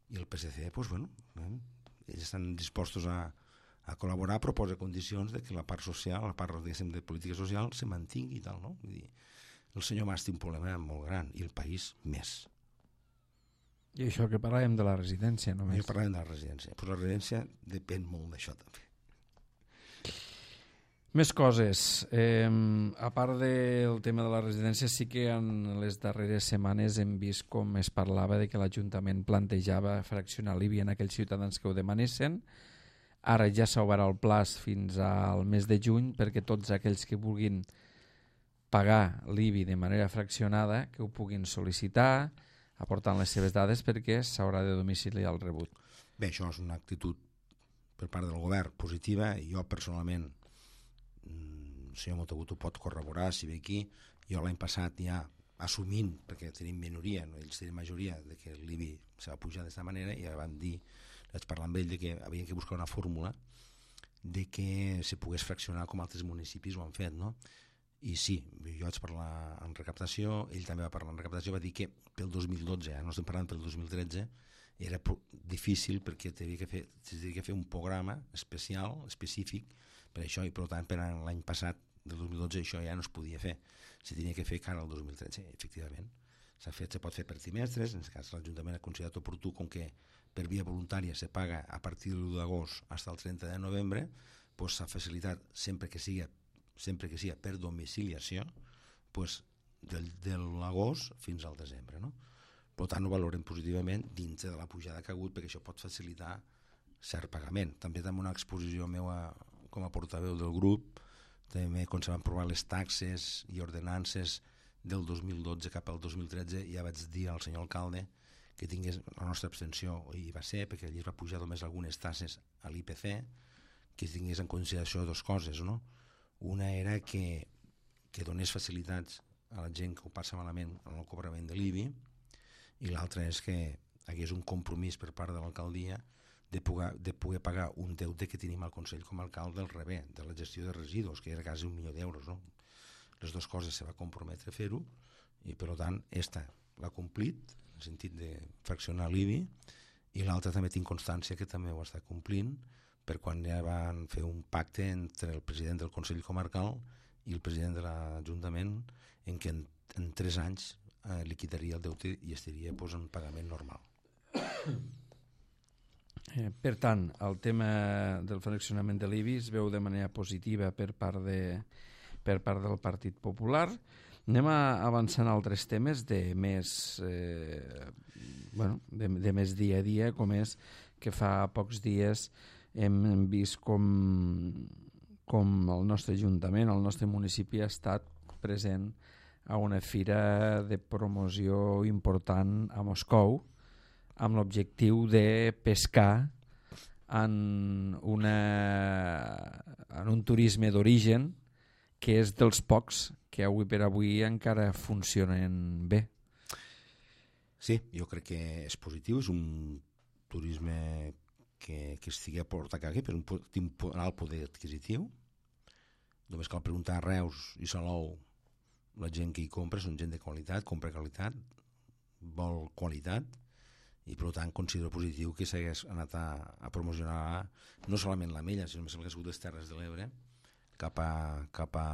i el P S C, doncs, bueno, eh, ells estan dispostos a, a col·laborar, proposa condicions de que la part social, la part, diguéssim, de política social se mantingui i tal, no? Vull dir, el senyor Mas té un problema molt gran i el país més. I això que parlàvem de la residència només. Jo parlàvem de la residència, però la residència depèn molt d'això també. Més coses. Eh, a part del tema de la residència, sí que en les darreres setmanes hem vist com es parlava de que l'Ajuntament plantejava fraccionar l'I B I en aquells ciutadans que ho demanessin. Ara ja s'obre el plaç fins al mes de juny perquè tots aquells que vulguin pagar l'I B I de manera fraccionada que ho puguin sol·licitar aportant les seves dades perquè s'haurà de domiciliar el rebut. Bé, això és una actitud per part del govern positiva i jo personalment, el senyor Montagut ho pot corroborar si ve aquí, jo l'any passat ja assumint, perquè tenim minoria, no? Ells tenen majoria, de que l'I B I se va pujar d'aquesta manera i ja vam dir, vaig parlar amb ell de que havien que buscar una fórmula de que se pogués fraccionar com altres municipis ho han fet, no? I sí, jo vaig parlar en recaptació, ell també va parlar en recaptació, va dir que pel dos mil dotze, eh, no estem parlant pel dos mil tretze, era difícil perquè s'havia que, fer, que fer un programa especial, específic per això, i per tant per l'any passat del dos mil dotze això ja no es podia fer, se tenia que fer cara al dos mil tretze, efectivament s'ha fet, se pot fer per trimestres, en aquest cas l'Ajuntament ha considerat oportú, com que per via voluntària se paga a partir de l'u d'agost fins al trenta de novembre, doncs s'ha facilitat sempre que sigui sempre que sigui per domiciliació, pues, del, de l'agost fins al desembre. No? Per tant, ho valorem positivament dintre de la pujada que ha hagut, perquè això pot facilitar cert pagament. També també una exposició meva com a portaveu del grup, també quan se van provar les taxes i ordenances del dos mil dotze cap al dos mil tretze, ja vaig dir al senyor alcalde que tingués la nostra abstenció, i va ser perquè allí es va pujar només algunes tasses a l'I P C, que tingués en consideració dues coses, no? Una era que, que donés facilitats a la gent que ho passa malament en el cobrament de l'I B I, i l'altra és que hi hagués un compromís per part de l'alcaldia de poder, de poder pagar un deute que tenim al Consell Comarcal del Rebé, de la gestió de residus, que era quasi un milió d'euros. No? Les dues coses se va comprometre a fer-ho i per tant esta l'ha complit en el sentit de fraccionar l'I B I, i l'altra també tinc constància que també ho està complint per quan ja van fer un pacte entre el president del Consell Comarcal i el president de l'Ajuntament en què en, en tres anys eh, liquidaria el deute i estaria pues, en pagament normal. Eh, per tant, el tema del fraccionament de l'I B I es veu de manera positiva per part, de, per part del Partit Popular. Anem a avançar en altres temes de més, eh, bueno, de, de més dia a dia, com és que fa pocs dies hem vist com, com el nostre Ajuntament, el nostre municipi ha estat present a una fira de promoció important a Moscou amb l'objectiu de pescar en, una, en un turisme d'origen que és dels pocs que avui per avui encara funcionen bé. Sí, jo crec que és positiu, és un turisme que, que estigui a portar aquí per un, un alt poder adquisitiu. Només cal preguntar a Reus i Salou, la gent que hi compra són gent de qualitat, compra qualitat, vol qualitat, i per tant considero positiu que s'hagués anat a, a promocionar no solament l'Ametlla, sinó que s'hagués hagut les Terres de l'Ebre cap a cap a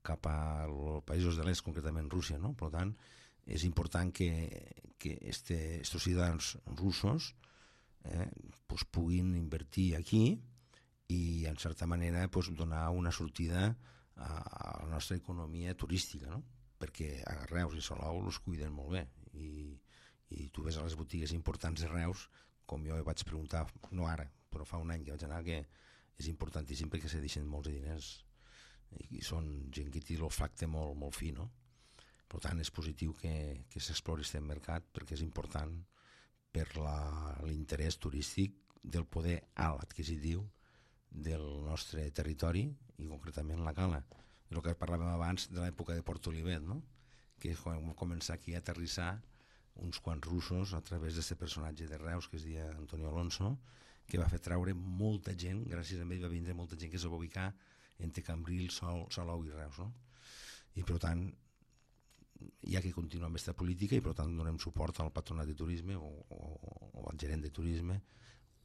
cap als països de l'est, concretament Rússia, no? Per tant, és important que, que este, estos ciutadans russos eh, pues puguin invertir aquí i en certa manera pues, donar una sortida a, a la nostra economia turística, no? Perquè a Reus i Salou els cuiden molt bé i, i tu ves a les botigues importants de Reus, com jo vaig preguntar, no ara, però fa un any que vaig anar, que és importantíssim perquè se deixen molts de diners i són gent que té l'olfacte molt, molt fi, no? Per tant, és positiu que, que s'explori aquest mercat perquè és important per l'interès turístic del poder alt adquisitiu del nostre territori i concretament la Cala. El que parlàvem abans de l'època de Port Olivet, no? Que vam començar aquí a aterrissar uns quants russos a través d'aquest personatge de Reus que es deia Antonio Alonso, que va fer treure molta gent, gràcies a ell va vindre molta gent que es va ubicar entre Cambrils, Sol, Salou i Reus, no? I per tant hi ha que continuar amb aquesta política i per tant donem suport al patronat de turisme o, o, o al gerent de turisme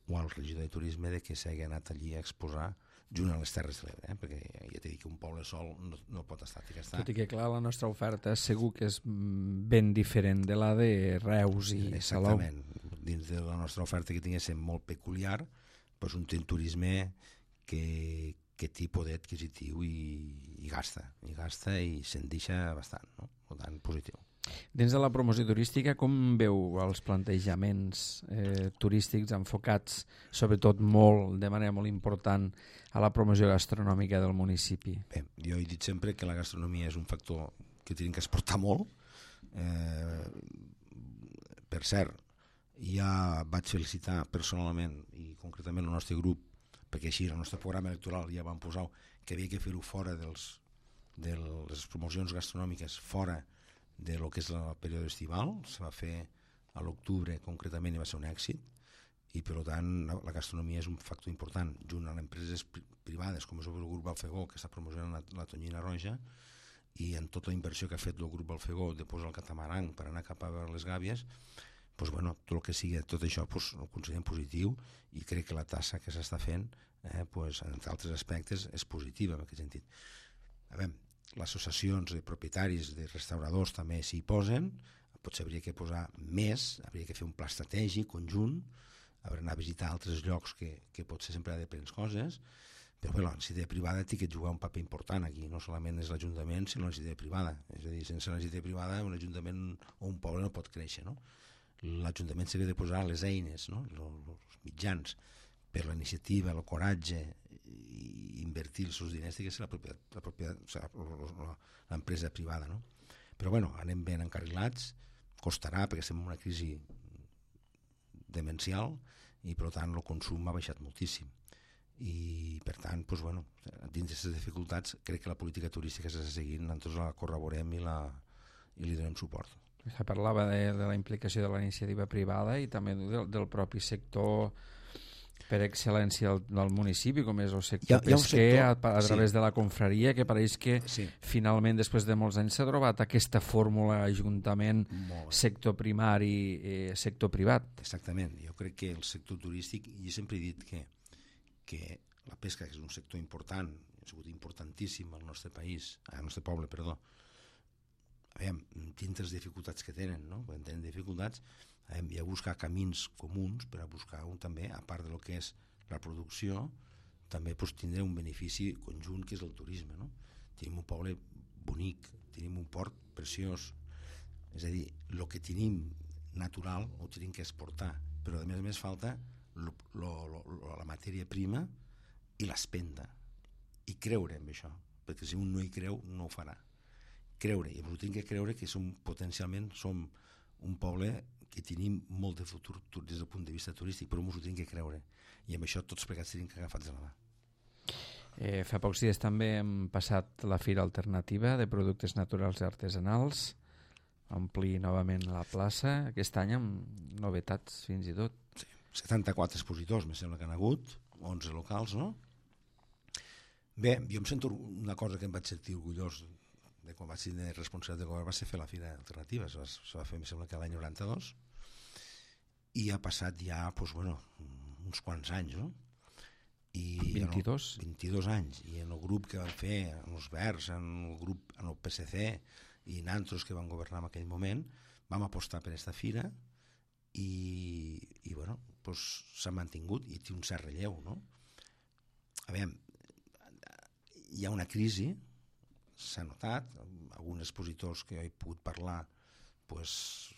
o al regidor de turisme de que s'hagi anat allí a exposar junt a les Terres de l'Ebre, eh? Perquè ja t'he dit que un poble sol no, no pot estar. Que està. Tot i que clar, la nostra oferta segur que és ben diferent de la de Reus i Salou. Exactament. Dins de la nostra oferta que tinguéssim molt peculiar, doncs un turisme que, que té poder adquisitiu i, i gasta, i gasta i se'n deixa bastant, no? Per tant, positiu. Dins de la promoció turística, com veu els plantejaments eh, turístics enfocats, sobretot molt, de manera molt important, a la promoció gastronòmica del municipi? Bé, jo he dit sempre que la gastronomia és un factor que tenim que exportar molt. Eh, per cert, ja vaig felicitar personalment i concretament el nostre grup, perquè així el nostre programa electoral ja vam posar que havia que fer-ho fora dels, de les promocions gastronòmiques, fora de lo que és el període estival. Se va fer a l'octubre concretament i va ser un èxit, i per tant la gastronomia és un factor important junt a les empreses privades com és el grup Balfegó, que està promocionant la, la tonyina roja, i en tota la inversió que ha fet el grup Balfegó de posar el catamaran per anar cap a veure les gàbies, pues bueno, tot el que sigui, tot això pues, ho considerem positiu, i crec que la tassa que s'està fent eh, pues, en altres aspectes és positiva en aquest sentit. A veure, les associacions de propietaris de restauradors també s'hi posen, potser hauria que posar més, hauria que fer un pla estratègic conjunt, hauria d'anar a visitar altres llocs que, que potser sempre ha de prendre coses, però bé, la iniciativa privada té que jugar un paper important aquí, no solament és l'Ajuntament sinó la iniciativa privada, és a dir, sense la iniciativa privada un Ajuntament o un poble no pot créixer, no? L'Ajuntament s'havia de posar les eines, no? Els mitjans per la iniciativa, el coratge i invertir els seus diners, que és la propietat, la propietat, o sigui, l'empresa privada, no? Però bueno, anem ben encarrilats, costarà perquè estem en una crisi demencial i per tant el consum ha baixat moltíssim, i per tant, doncs, bueno, dins d'aquestes dificultats crec que la política turística s'està seguint, nosaltres la corroborem i, la, i li donem suport. Se parlava de, de la implicació de la iniciativa privada i també del, del propi sector per excel·lència del, del municipi, com és el sector hi ha, pesquer, hi ha sector, a, a través sí. de la confraria, que pareix que sí. finalment, després de molts anys, s'ha trobat aquesta fórmula ajuntament, sector primari, eh, sector privat. Exactament. Jo crec que el sector turístic, jo sempre he dit que, que la pesca, que és un sector important, ha sigut importantíssim al nostre país, al nostre poble, perdó, aviam, tenen les dificultats que tenen, no? Quan tenen dificultats, hem de buscar camins comuns per a buscar un també, a part del que és la producció, també pues, tindre un benefici conjunt que és el turisme, no? Tenim un poble bonic, tenim un port preciós, és a dir, el que tenim natural ho tenim que exportar, però a més a més falta lo, lo, lo, la matèria prima i l'espenda, i creure en això, perquè si un no hi creu no ho farà. Creure, i ho tenim que creure que som potencialment som un poble que tenim molt de futur des del punt de vista turístic, però ens ho tenim que creure, i amb això tots plegats tenim que agafar-nos de la mà. Eh, fa pocs dies també hem passat la Fira Alternativa de Productes Naturals i Artesanals, omplir novament la plaça, aquest any amb novetats fins i tot. Sí, setanta-quatre expositors, me sembla que han hagut, onze locals, no? Bé, jo em sento una cosa que em vaig sentir orgullós de quan vaig ser responsable de govern, va ser fer la Fira Alternativa, se va fer, em sembla que l'any noranta-dos, i ha passat ja, doncs, bueno, uns quants anys, no? I vint-i-dos? En el, vint-i-dos anys, i en el grup que van fer, en els Verds, en el grup, en el P S C, i en altres que van governar en aquell moment, vam apostar per aquesta fira, i, i bueno, doncs s'ha mantingut, i té un cert relleu, no? A veure, hi ha una crisi, s'ha notat, alguns expositors que jo he pogut parlar, pues,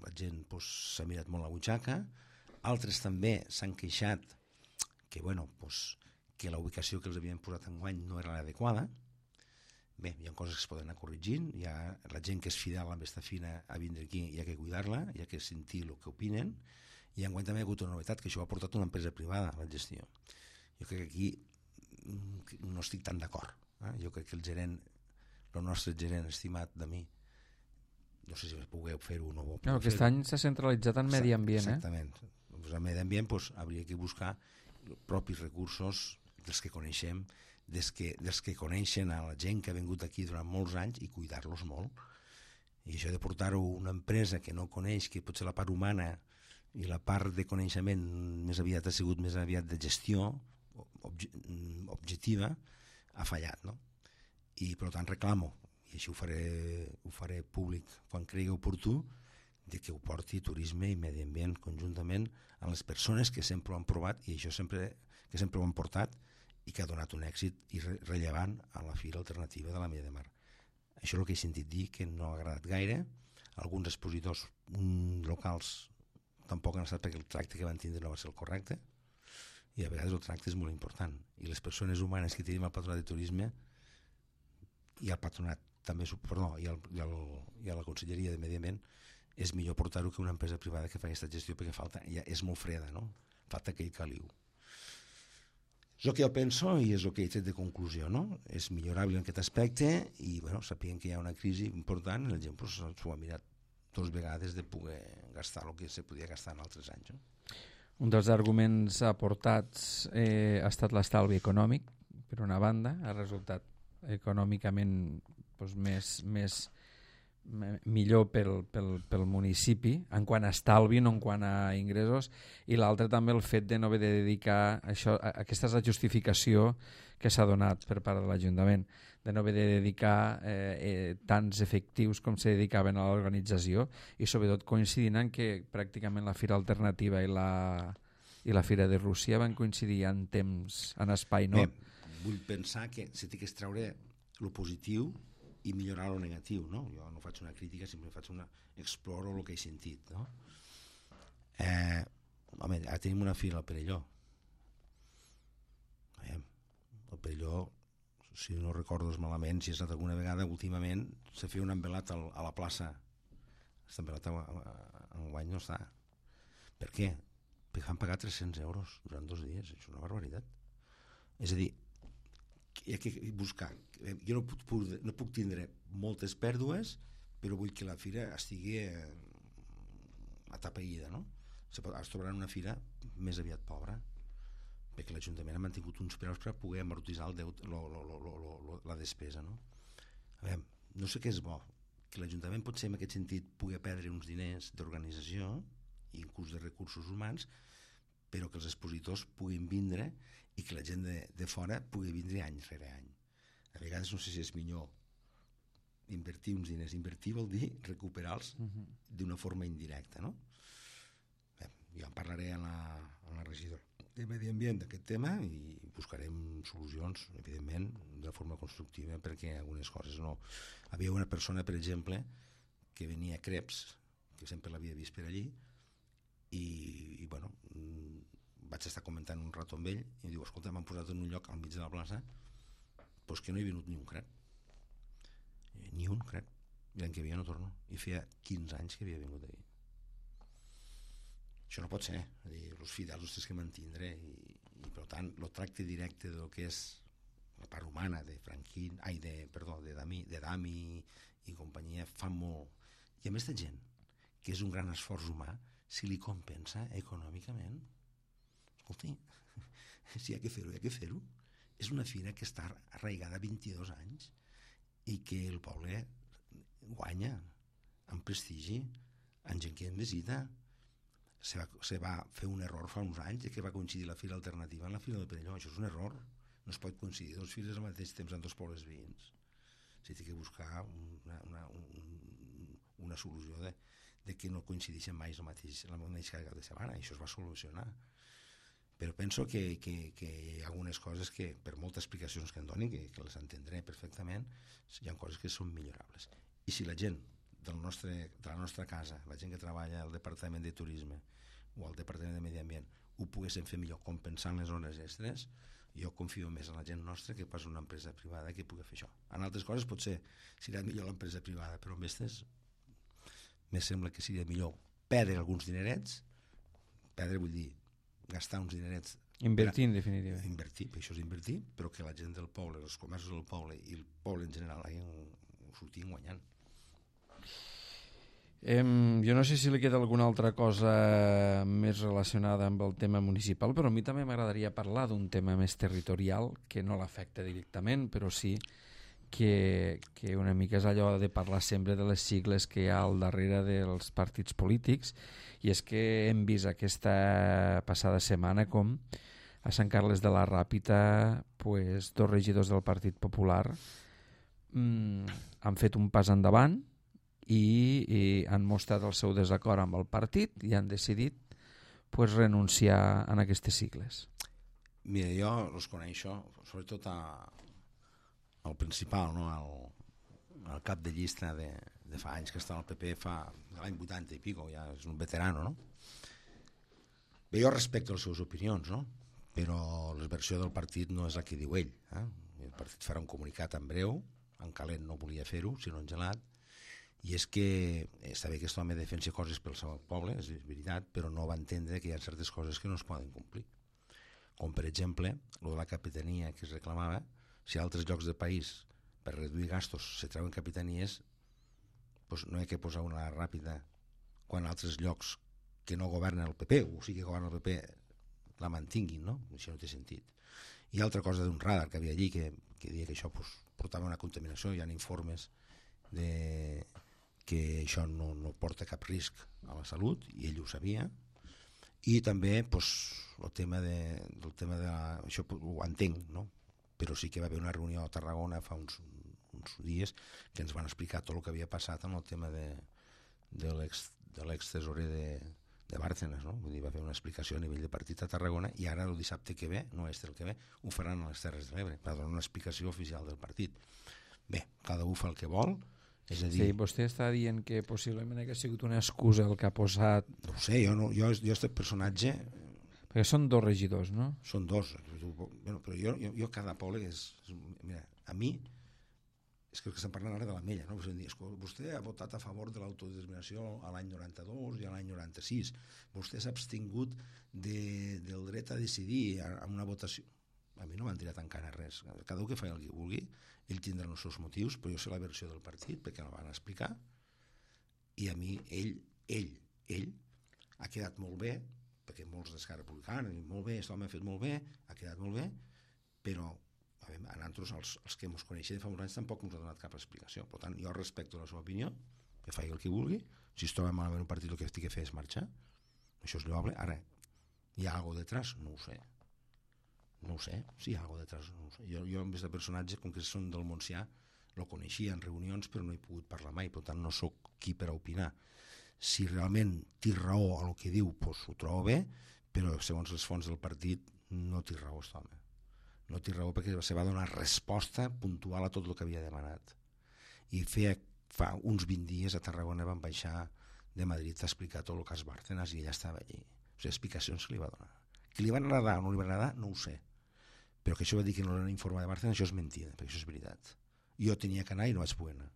la gent pues, s'ha mirat molt la butxaca, altres també s'han queixat que, bueno, pues, que la ubicació que els havien posat enguany no era l'adequada. Bé, hi ha coses que es poden anar corregint, hi ha la gent que és fidel amb aquesta fina a vindre aquí, hi ha que cuidar-la, hi ha que sentir el que opinen, i enguany també hi ha hagut una novetat, que això ho ha portat una empresa privada a la gestió. Jo crec que aquí no estic tan d'acord. Eh? Jo crec que el gerent el nostre gerent estimat de mi, no sé si pugueu fer-ho o no. No, aquest any s'ha centralitzat en medi ambient. Exactament. Eh? Pues en medi ambient pues, hauria que buscar els propis recursos dels que coneixem, dels que, dels que coneixen a la gent que ha vingut aquí durant molts anys i cuidar-los molt. I això de portar-ho a una empresa que no coneix, que potser la part humana i la part de coneixement més aviat ha sigut més aviat de gestió obje, objectiva, ha fallat, no? I per tant reclamo, i així ho faré, ho faré públic quan cregui oportú, de que ho porti turisme i medi ambient conjuntament a les persones que sempre ho han provat i això sempre, que sempre ho han portat i que ha donat un èxit i re rellevant a la Fira Alternativa de la Mella de Mar. Això és el que he sentit dir, que no ha agradat gaire. Alguns expositors mm, locals tampoc han estat perquè el tracte que van tindre no va ser el correcte, i a vegades el tracte és molt important. I les persones humanes que tenim al Patronat de Turisme i al Patronat també, perdó, i, al, i, al, i a la Conselleria de Medi Ambient, és millor portar-ho que una empresa privada que fa aquesta gestió, perquè falta, ja és molt freda, no? Falta aquell caliu. És el que jo penso i és el que he tret de conclusió, no? És millorable en aquest aspecte i, bueno, sapient que hi ha una crisi important, la gent pues, s'ho ha mirat dues vegades de poder gastar el que se podia gastar en altres anys. No? Un dels arguments aportats eh, ha estat l'estalvi econòmic, per una banda, ha resultat econòmicament doncs, més, més, millor pel, pel, pel municipi, en quant a estalvi, no en quant a ingressos, i l'altre també el fet de no haver de dedicar, això, aquesta és la justificació que s'ha donat per part de l'Ajuntament, de no haver de dedicar eh, eh, tants efectius com se dedicaven a l'organització, i sobretot coincidint en que pràcticament la Fira Alternativa i la, i la Fira de Rússia van coincidir en temps, en espai, no? Bé, vull pensar que se té que extraure lo positiu i millorar lo negatiu, no? Jo no faig una crítica, simplement faig una... exploro el que he sentit, no? Eh, home, ara tenim una fira al Perelló. Eh, el Perelló, si no recordo malament, si has anat alguna vegada, últimament se feia un envelat al, a la plaça. Aquest envelat en guany no està. Per què? Perquè van pagar tres-cents euros durant dos dies. Això és una barbaritat. És a dir, hi ha que buscar. Jo no puc, no puc tindre moltes pèrdues, però vull que la fira estigui atapeïda, no? Es trobarà una fira més aviat pobra, perquè l'Ajuntament ha mantingut uns preus per poder amortitzar el deute, lo, lo, lo, lo, lo, la despesa, no? A veure, no sé què és bo, que l'Ajuntament potser en aquest sentit pugui perdre uns diners d'organització i inclús de recursos humans, però que els expositors puguin vindre i que la gent de, de fora pugui vindre any rere any. A vegades no sé si és millor invertir uns diners. Invertir vol dir recuperar-los uh-huh. d'una forma indirecta, no? Bé, jo en parlaré a la, a la regidora de Medi Ambient d'aquest tema i buscarem solucions, evidentment, de forma constructiva, perquè algunes coses no... Havia una persona, per exemple, que venia a Creps, que sempre l'havia vist per allí, i, i bueno, vaig estar comentant un rato amb ell i em diu, escolta, m'han posat en un lloc al mig de la plaça doncs que no he venut ni un crep, ni un crep, i l'any que havia no torno, i feia quinze anys que havia vingut allí. Això no pot ser, és dir, els fidels els tens que mantindre i, i per tant el tracte directe del que és la part humana de Franquín, ai, de, perdó, de Dami, de Dami i companyia fa molt, i a més de gent que és un gran esforç humà, si li compensa econòmicament, escolti, si hi ha que fer-ho, hi ha que fer-ho. És una fira que està arraigada vint-i-dos anys i que el poble guanya en prestigi, en gent que en visita. Se va, se va fer un error fa uns anys que va coincidir la Fira Alternativa amb la Fira del Perelló. Això és un error. No es pot coincidir dos fires al mateix temps en dos pobles veïns. S'ha de buscar una, una, un, una solució de, de que no coincideixen mai la mateixa, la mateixa cap de setmana. I això es va solucionar. Però penso que, que, que hi ha algunes coses que, per moltes explicacions que em donin, que, que les entendré perfectament, hi ha coses que són millorables. I si la gent del nostre, de la nostra casa, la gent que treballa al Departament de Turisme o al Departament de Medi Ambient, ho poguessin fer millor compensant les hores extres, jo confio més en la gent nostra que pas una empresa privada que pugui fer això. En altres coses potser serà millor l'empresa privada, però en aquestes me sembla que seria millor perdre alguns dinerets, perdre vull dir gastar uns dinerets... Invertir, en definitiva. Invertir, això és invertir, però que la gent del poble, els comerços del poble i el poble en general ho sortien guanyant. Eh, jo no sé si li queda alguna altra cosa més relacionada amb el tema municipal, però a mi també m'agradaria parlar d'un tema més territorial, que no l'afecta directament, però sí que, que una mica és allò de parlar sempre de les sigles que hi ha al darrere dels partits polítics, i és que hem vist aquesta passada setmana com a Sant Carles de la Ràpita pues, dos regidors del Partit Popular mmm, han fet un pas endavant i, i han mostrat el seu desacord amb el partit i han decidit pues, renunciar a aquestes sigles. Mira, jo els coneixo, sobretot a, al principal, no? al, al cap de llista de, de fa anys que està al P P, fa l'any vuitanta i pico, ja és un veterano, no? Bé, jo respecto les seves opinions, no? Però la versió del partit no és la que diu ell. Eh? El partit farà un comunicat en breu, en calent no volia fer-ho, sinó en gelat, i és que està bé que aquest home defensi coses pel seu poble, és veritat, però no va entendre que hi ha certes coses que no es poden complir. Com per exemple, el de la capitania que es reclamava, si a altres llocs del país per reduir gastos se treuen capitanies, doncs no hi ha que posar una ràpida quan altres llocs que no governen el P P, o sigui que governen el P P, la mantinguin, no? Això no té sentit. I altra cosa d'un radar que havia allí que, que deia que això pues, portava una contaminació, hi ha informes de que això no, no porta cap risc a la salut, i ell ho sabia. I també pues, el tema de, del tema de la, això ho entenc, no? Però sí que va haver una reunió a Tarragona fa uns, uns dies que ens van explicar tot el que havia passat amb el tema de, de l'ex-tesorer de, de Bárcenas, no? Vull dir, va fer una explicació a nivell de partit a Tarragona, i ara el dissabte que ve, no este el que ve, ho faran a les Terres de l'Ebre, per donar una explicació oficial del partit. Bé, cada un fa el que vol, és a dir... Sí, vostè està dient que possiblement ha sigut una excusa el que ha posat... No ho sé, jo, no, jo, jo este personatge... Perquè són dos regidors, no? Són dos. Bueno, però jo, jo, jo cada poble és, és... Mira, a mi, és que estem parlant ara de l'Ametlla, no? Vostè ha votat a favor de l'autodeterminació a l'any noranta-dos i a l'any noranta-sis. Vostè s'ha abstingut de, del dret a decidir en una votació. A mi no m'han tirat encara res. Cada un que fa el que vulgui, ell tindrà els seus motius, però jo sé la versió del partit, perquè la van explicar, i a mi, ell, ell, ell, ha quedat molt bé, perquè molts d'Esquerra Republicana, molt bé, això m'ha fet molt bé, ha quedat molt bé, però a, veure, a nosaltres, els, els que ens coneixem de fa uns anys, tampoc ens ha donat cap explicació. Per tant, jo respecto la seva opinió, que faci el que vulgui, si es troba malament un partit el que estigui a fer és marxar, això és lloable. Ara, hi ha alguna cosa detrás? No ho sé. No ho sé, si hi ha alguna cosa detrás, no ho sé. Jo, jo amb aquest personatge, com que són del Montsià, lo coneixia en reunions, però no he pogut parlar mai, per tant no sóc qui per a opinar. Si realment té raó a el que diu, doncs ho trobo bé, però segons les fonts del partit no té raó aquest home. No té raó perquè se va donar resposta puntual a tot el que havia demanat. I feia, fa uns vint dies a Tarragona van baixar de Madrid a explicar tot el cas Bárcenas i ella estava allí. O sigui, explicacions que li va donar. Que li van agradar o no li van agradar, no ho sé. Però que això va dir que no l'han informat de Bárcenas, això és mentida, perquè això és veritat. Jo tenia que anar i no vaig poder anar.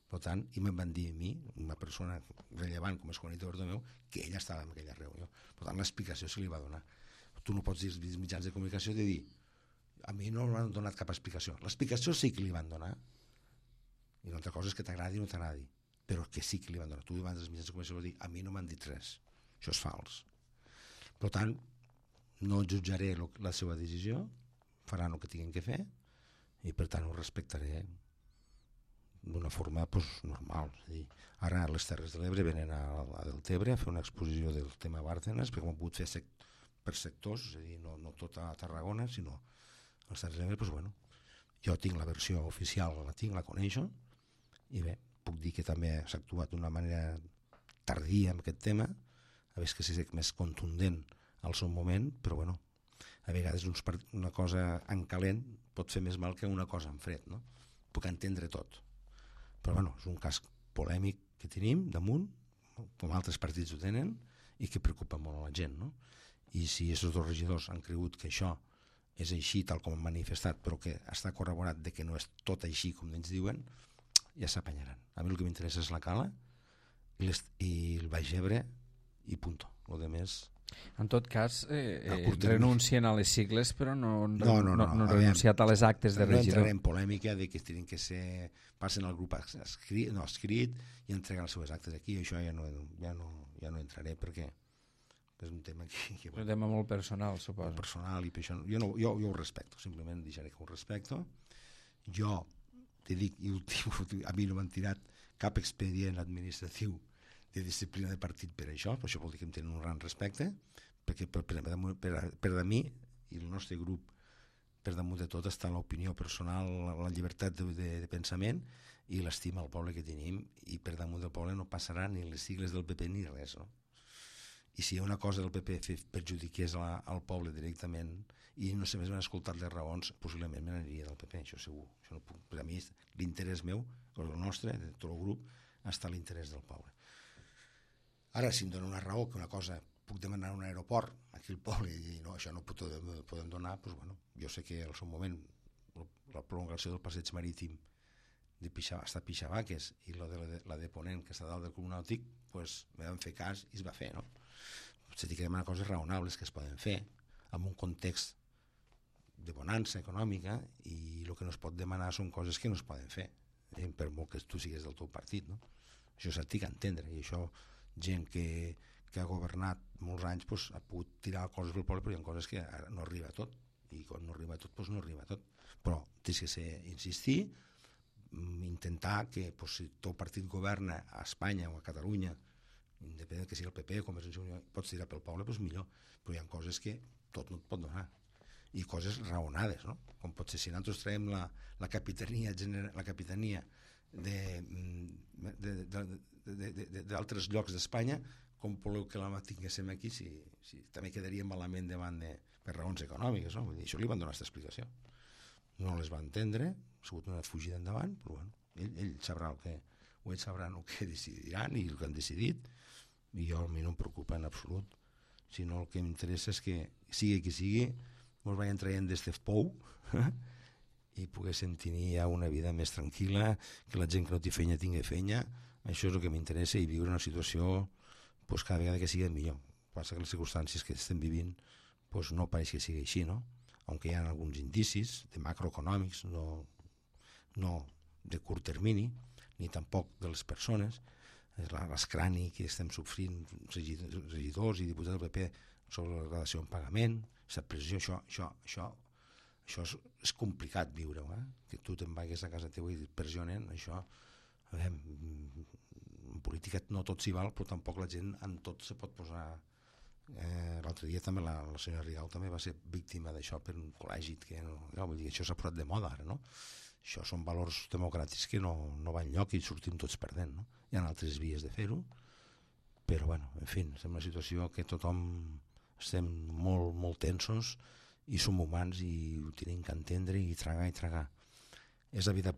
Per tant, i me'n van dir a mi, una persona rellevant com és Juanito Bertomeu, que ella estava en aquella reunió. Per tant, l'explicació se li va donar. Tu no pots dir als mitjans de comunicació de dir a mi no m'han donat cap explicació. L'explicació sí que li van donar, i una altra cosa és que t'agradi o no t'agradi, però que sí que li van donar. Tu davant dels mitjans de comunicació vas dir a mi no m'han dit res. Això és fals. Per tant, no jutjaré la seva decisió, faran el que tinguin que fer, i per tant ho respectaré d'una forma pues, normal. És a dir, ara a les Terres de l'Ebre venen a, a Deltebre a fer una exposició del tema Bárcenas, perquè ho han pogut fer sec, per sectors, és a dir, no, no tot a Tarragona, sinó als Terres de l'Ebre, pues, bueno, jo tinc la versió oficial, la tinc, la coneixo, i bé, puc dir que també s'ha actuat d'una manera tardia en aquest tema, a veure que sigui més contundent al seu moment, però bueno, a vegades uns part... una cosa en calent pot fer més mal que una cosa en fred, no? Puc entendre tot. Però bueno, és un cas polèmic que tenim damunt, com altres partits ho tenen, i que preocupa molt a la gent, no? I si aquests dos regidors han cregut que això és així tal com han manifestat, però que està corroborat de que no és tot així com ells diuen, ja s'apanyaran. A mi el que m'interessa és la Cala i, i el Baix Ebre i punto. Lo de més... En tot cas, eh, eh, renuncien a les sigles, però no han no, no, no, no, no, no renunciat a les actes de regidor. No entraré en polèmica de que tenen que ser, passen al grup escrit, no, escrit i entreguen les seves actes aquí. Això ja no, ja no, ja no entraré perquè és un tema que... que bueno, un tema molt personal, suposo. Personal, i per això, jo, no, jo, jo ho respecto, simplement deixaré que ho respecto. Jo te dic, i últim, a mi no m'han tirat cap expedient administratiu de disciplina de partit per això, per això vol dir que em tenen un gran respecte, perquè per, per, per, per a mi i el nostre grup, per damunt de tot està l'opinió personal, la llibertat de, de, de pensament i l'estima al poble que tenim, i per damunt del poble no passarà ni les sigles del P P ni res, no? I si hi ha una cosa del P P perjudiqués la, al poble directament i no se m'han escoltat les raons, possiblement me n'aniria del P P, això segur. Això no puc, per a mi l'interès meu, el nostre, de tot el grup, està l'interès del poble. Ara, si em dona una raó que una cosa puc demanar un aeroport aquí al poble i no, això no ho podem donar, doncs, bueno, jo sé que al seu moment la prolongació del passeig marítim de Pixà, hasta Pixavaques i la de, la, de, la de Ponent, que està dalt del Club Nàutic, pues, me van fer cas i es va fer, no? Potser que demanar coses raonables que es poden fer en un context de bonança econòmica, i el que no es pot demanar són coses que no es poden fer, eh? Per molt que tu sigues del teu partit, no? Això s'ha de entendre, i això gent que, que ha governat molts anys pues, ha pogut tirar coses pel poble, però hi ha coses que no arriba a tot, i quan no arriba a tot, pues no arriba a tot. Però tens que ser, insistir, intentar que pues, si el teu partit governa a Espanya o a Catalunya, independent que sigui el P P o Convergència i Unió, pots tirar pel poble, doncs millor, però hi ha coses que tot no et pot donar, i coses raonades, no? Com pot ser si nosaltres traiem la, la capitania, la capitania d'altres llocs d'Espanya, com voleu que la tinguéssim aquí, si, si també quedaria malament davant de, per raons econòmiques, no? Vull dir, això li van donar aquesta explicació, no les va entendre, ha sigut una fugida endavant, però bueno, ell, ell sabrà el que, o ells sabran el que decidiran i el que han decidit, i jo a mi no em preocupa en absolut, sinó el que m'interessa és que sigui qui sigui ens vagin traient d'este pou i poguéssim tenir ja una vida més tranquil·la, que la gent que no té feina tingui feina. Això és el que m'interessa, i viure una situació pues, cada vegada que sigui millor. Passa que les circumstàncies que estem vivint pues, no pareix que sigui així, no? Aunque hi ha alguns indicis de macroeconòmics, no, no de curt termini, ni tampoc de les persones, l'escrani que estem sofrint regidors i diputats del P P sobre la relació en pagament, la pressió, això, això, això, això és, és complicat viure, eh? Que tu te'n vagis a casa teva i et pressionen, això, veure, en política no tot s'hi val, però tampoc la gent en tot se pot posar. Eh, l'altre dia també la, la senyora Rigau també va ser víctima d'això per un col·legi, que no, no, vull dir, això s'ha posat de moda ara, no? Això són valors democràtics que no, no van lloc i sortim tots perdent, no? Hi ha altres vies de fer-ho, però bueno, en fi, és una situació que tothom estem molt, molt tensos i som humans i ho tenim que entendre i tragar i tragar. És la vida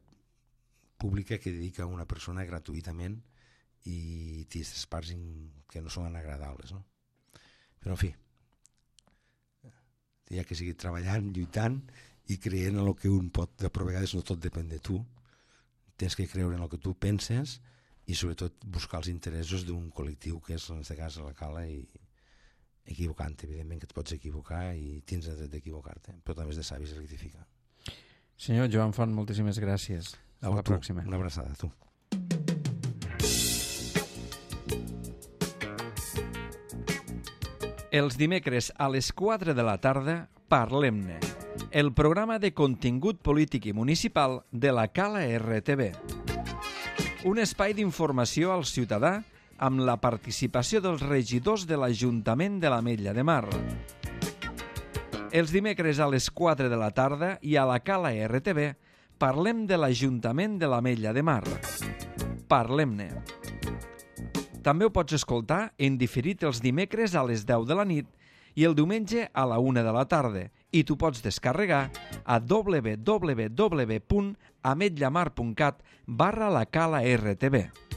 pública que dedica una persona gratuïtament i té aquestes parts que no són agradables, no? Però en fi, hi ha que seguir treballant, lluitant i creient en el que un pot. Però a vegades no tot depèn de tu, tens que creure en el que tu penses i sobretot buscar els interessos d'un col·lectiu que és en aquest cas la Cala, i equivocant-te, evidentment que et pots equivocar i tens el dret d'equivocar-te, però també és de savis rectificar. Senyor Joan Font, moltíssimes gràcies. A la tu, pròxima. Una abraçada a tu. Els dimecres a les quatre de la tarda, Parlem-ne, el programa de contingut polític i municipal de la Cala R T V. Un espai d'informació al ciutadà amb la participació dels regidors de l'Ajuntament de l'Ametlla de Mar. Els dimecres a les quatre de la tarda i a la Cala R T V parlem de l'Ajuntament de l'Ametlla de Mar. Parlem-ne. També ho pots escoltar en diferit els dimecres a les deu de la nit i el diumenge a la una de la tarda, i tu pots descarregar a w w w punt ametllamar punt cat barra la Cala R T V.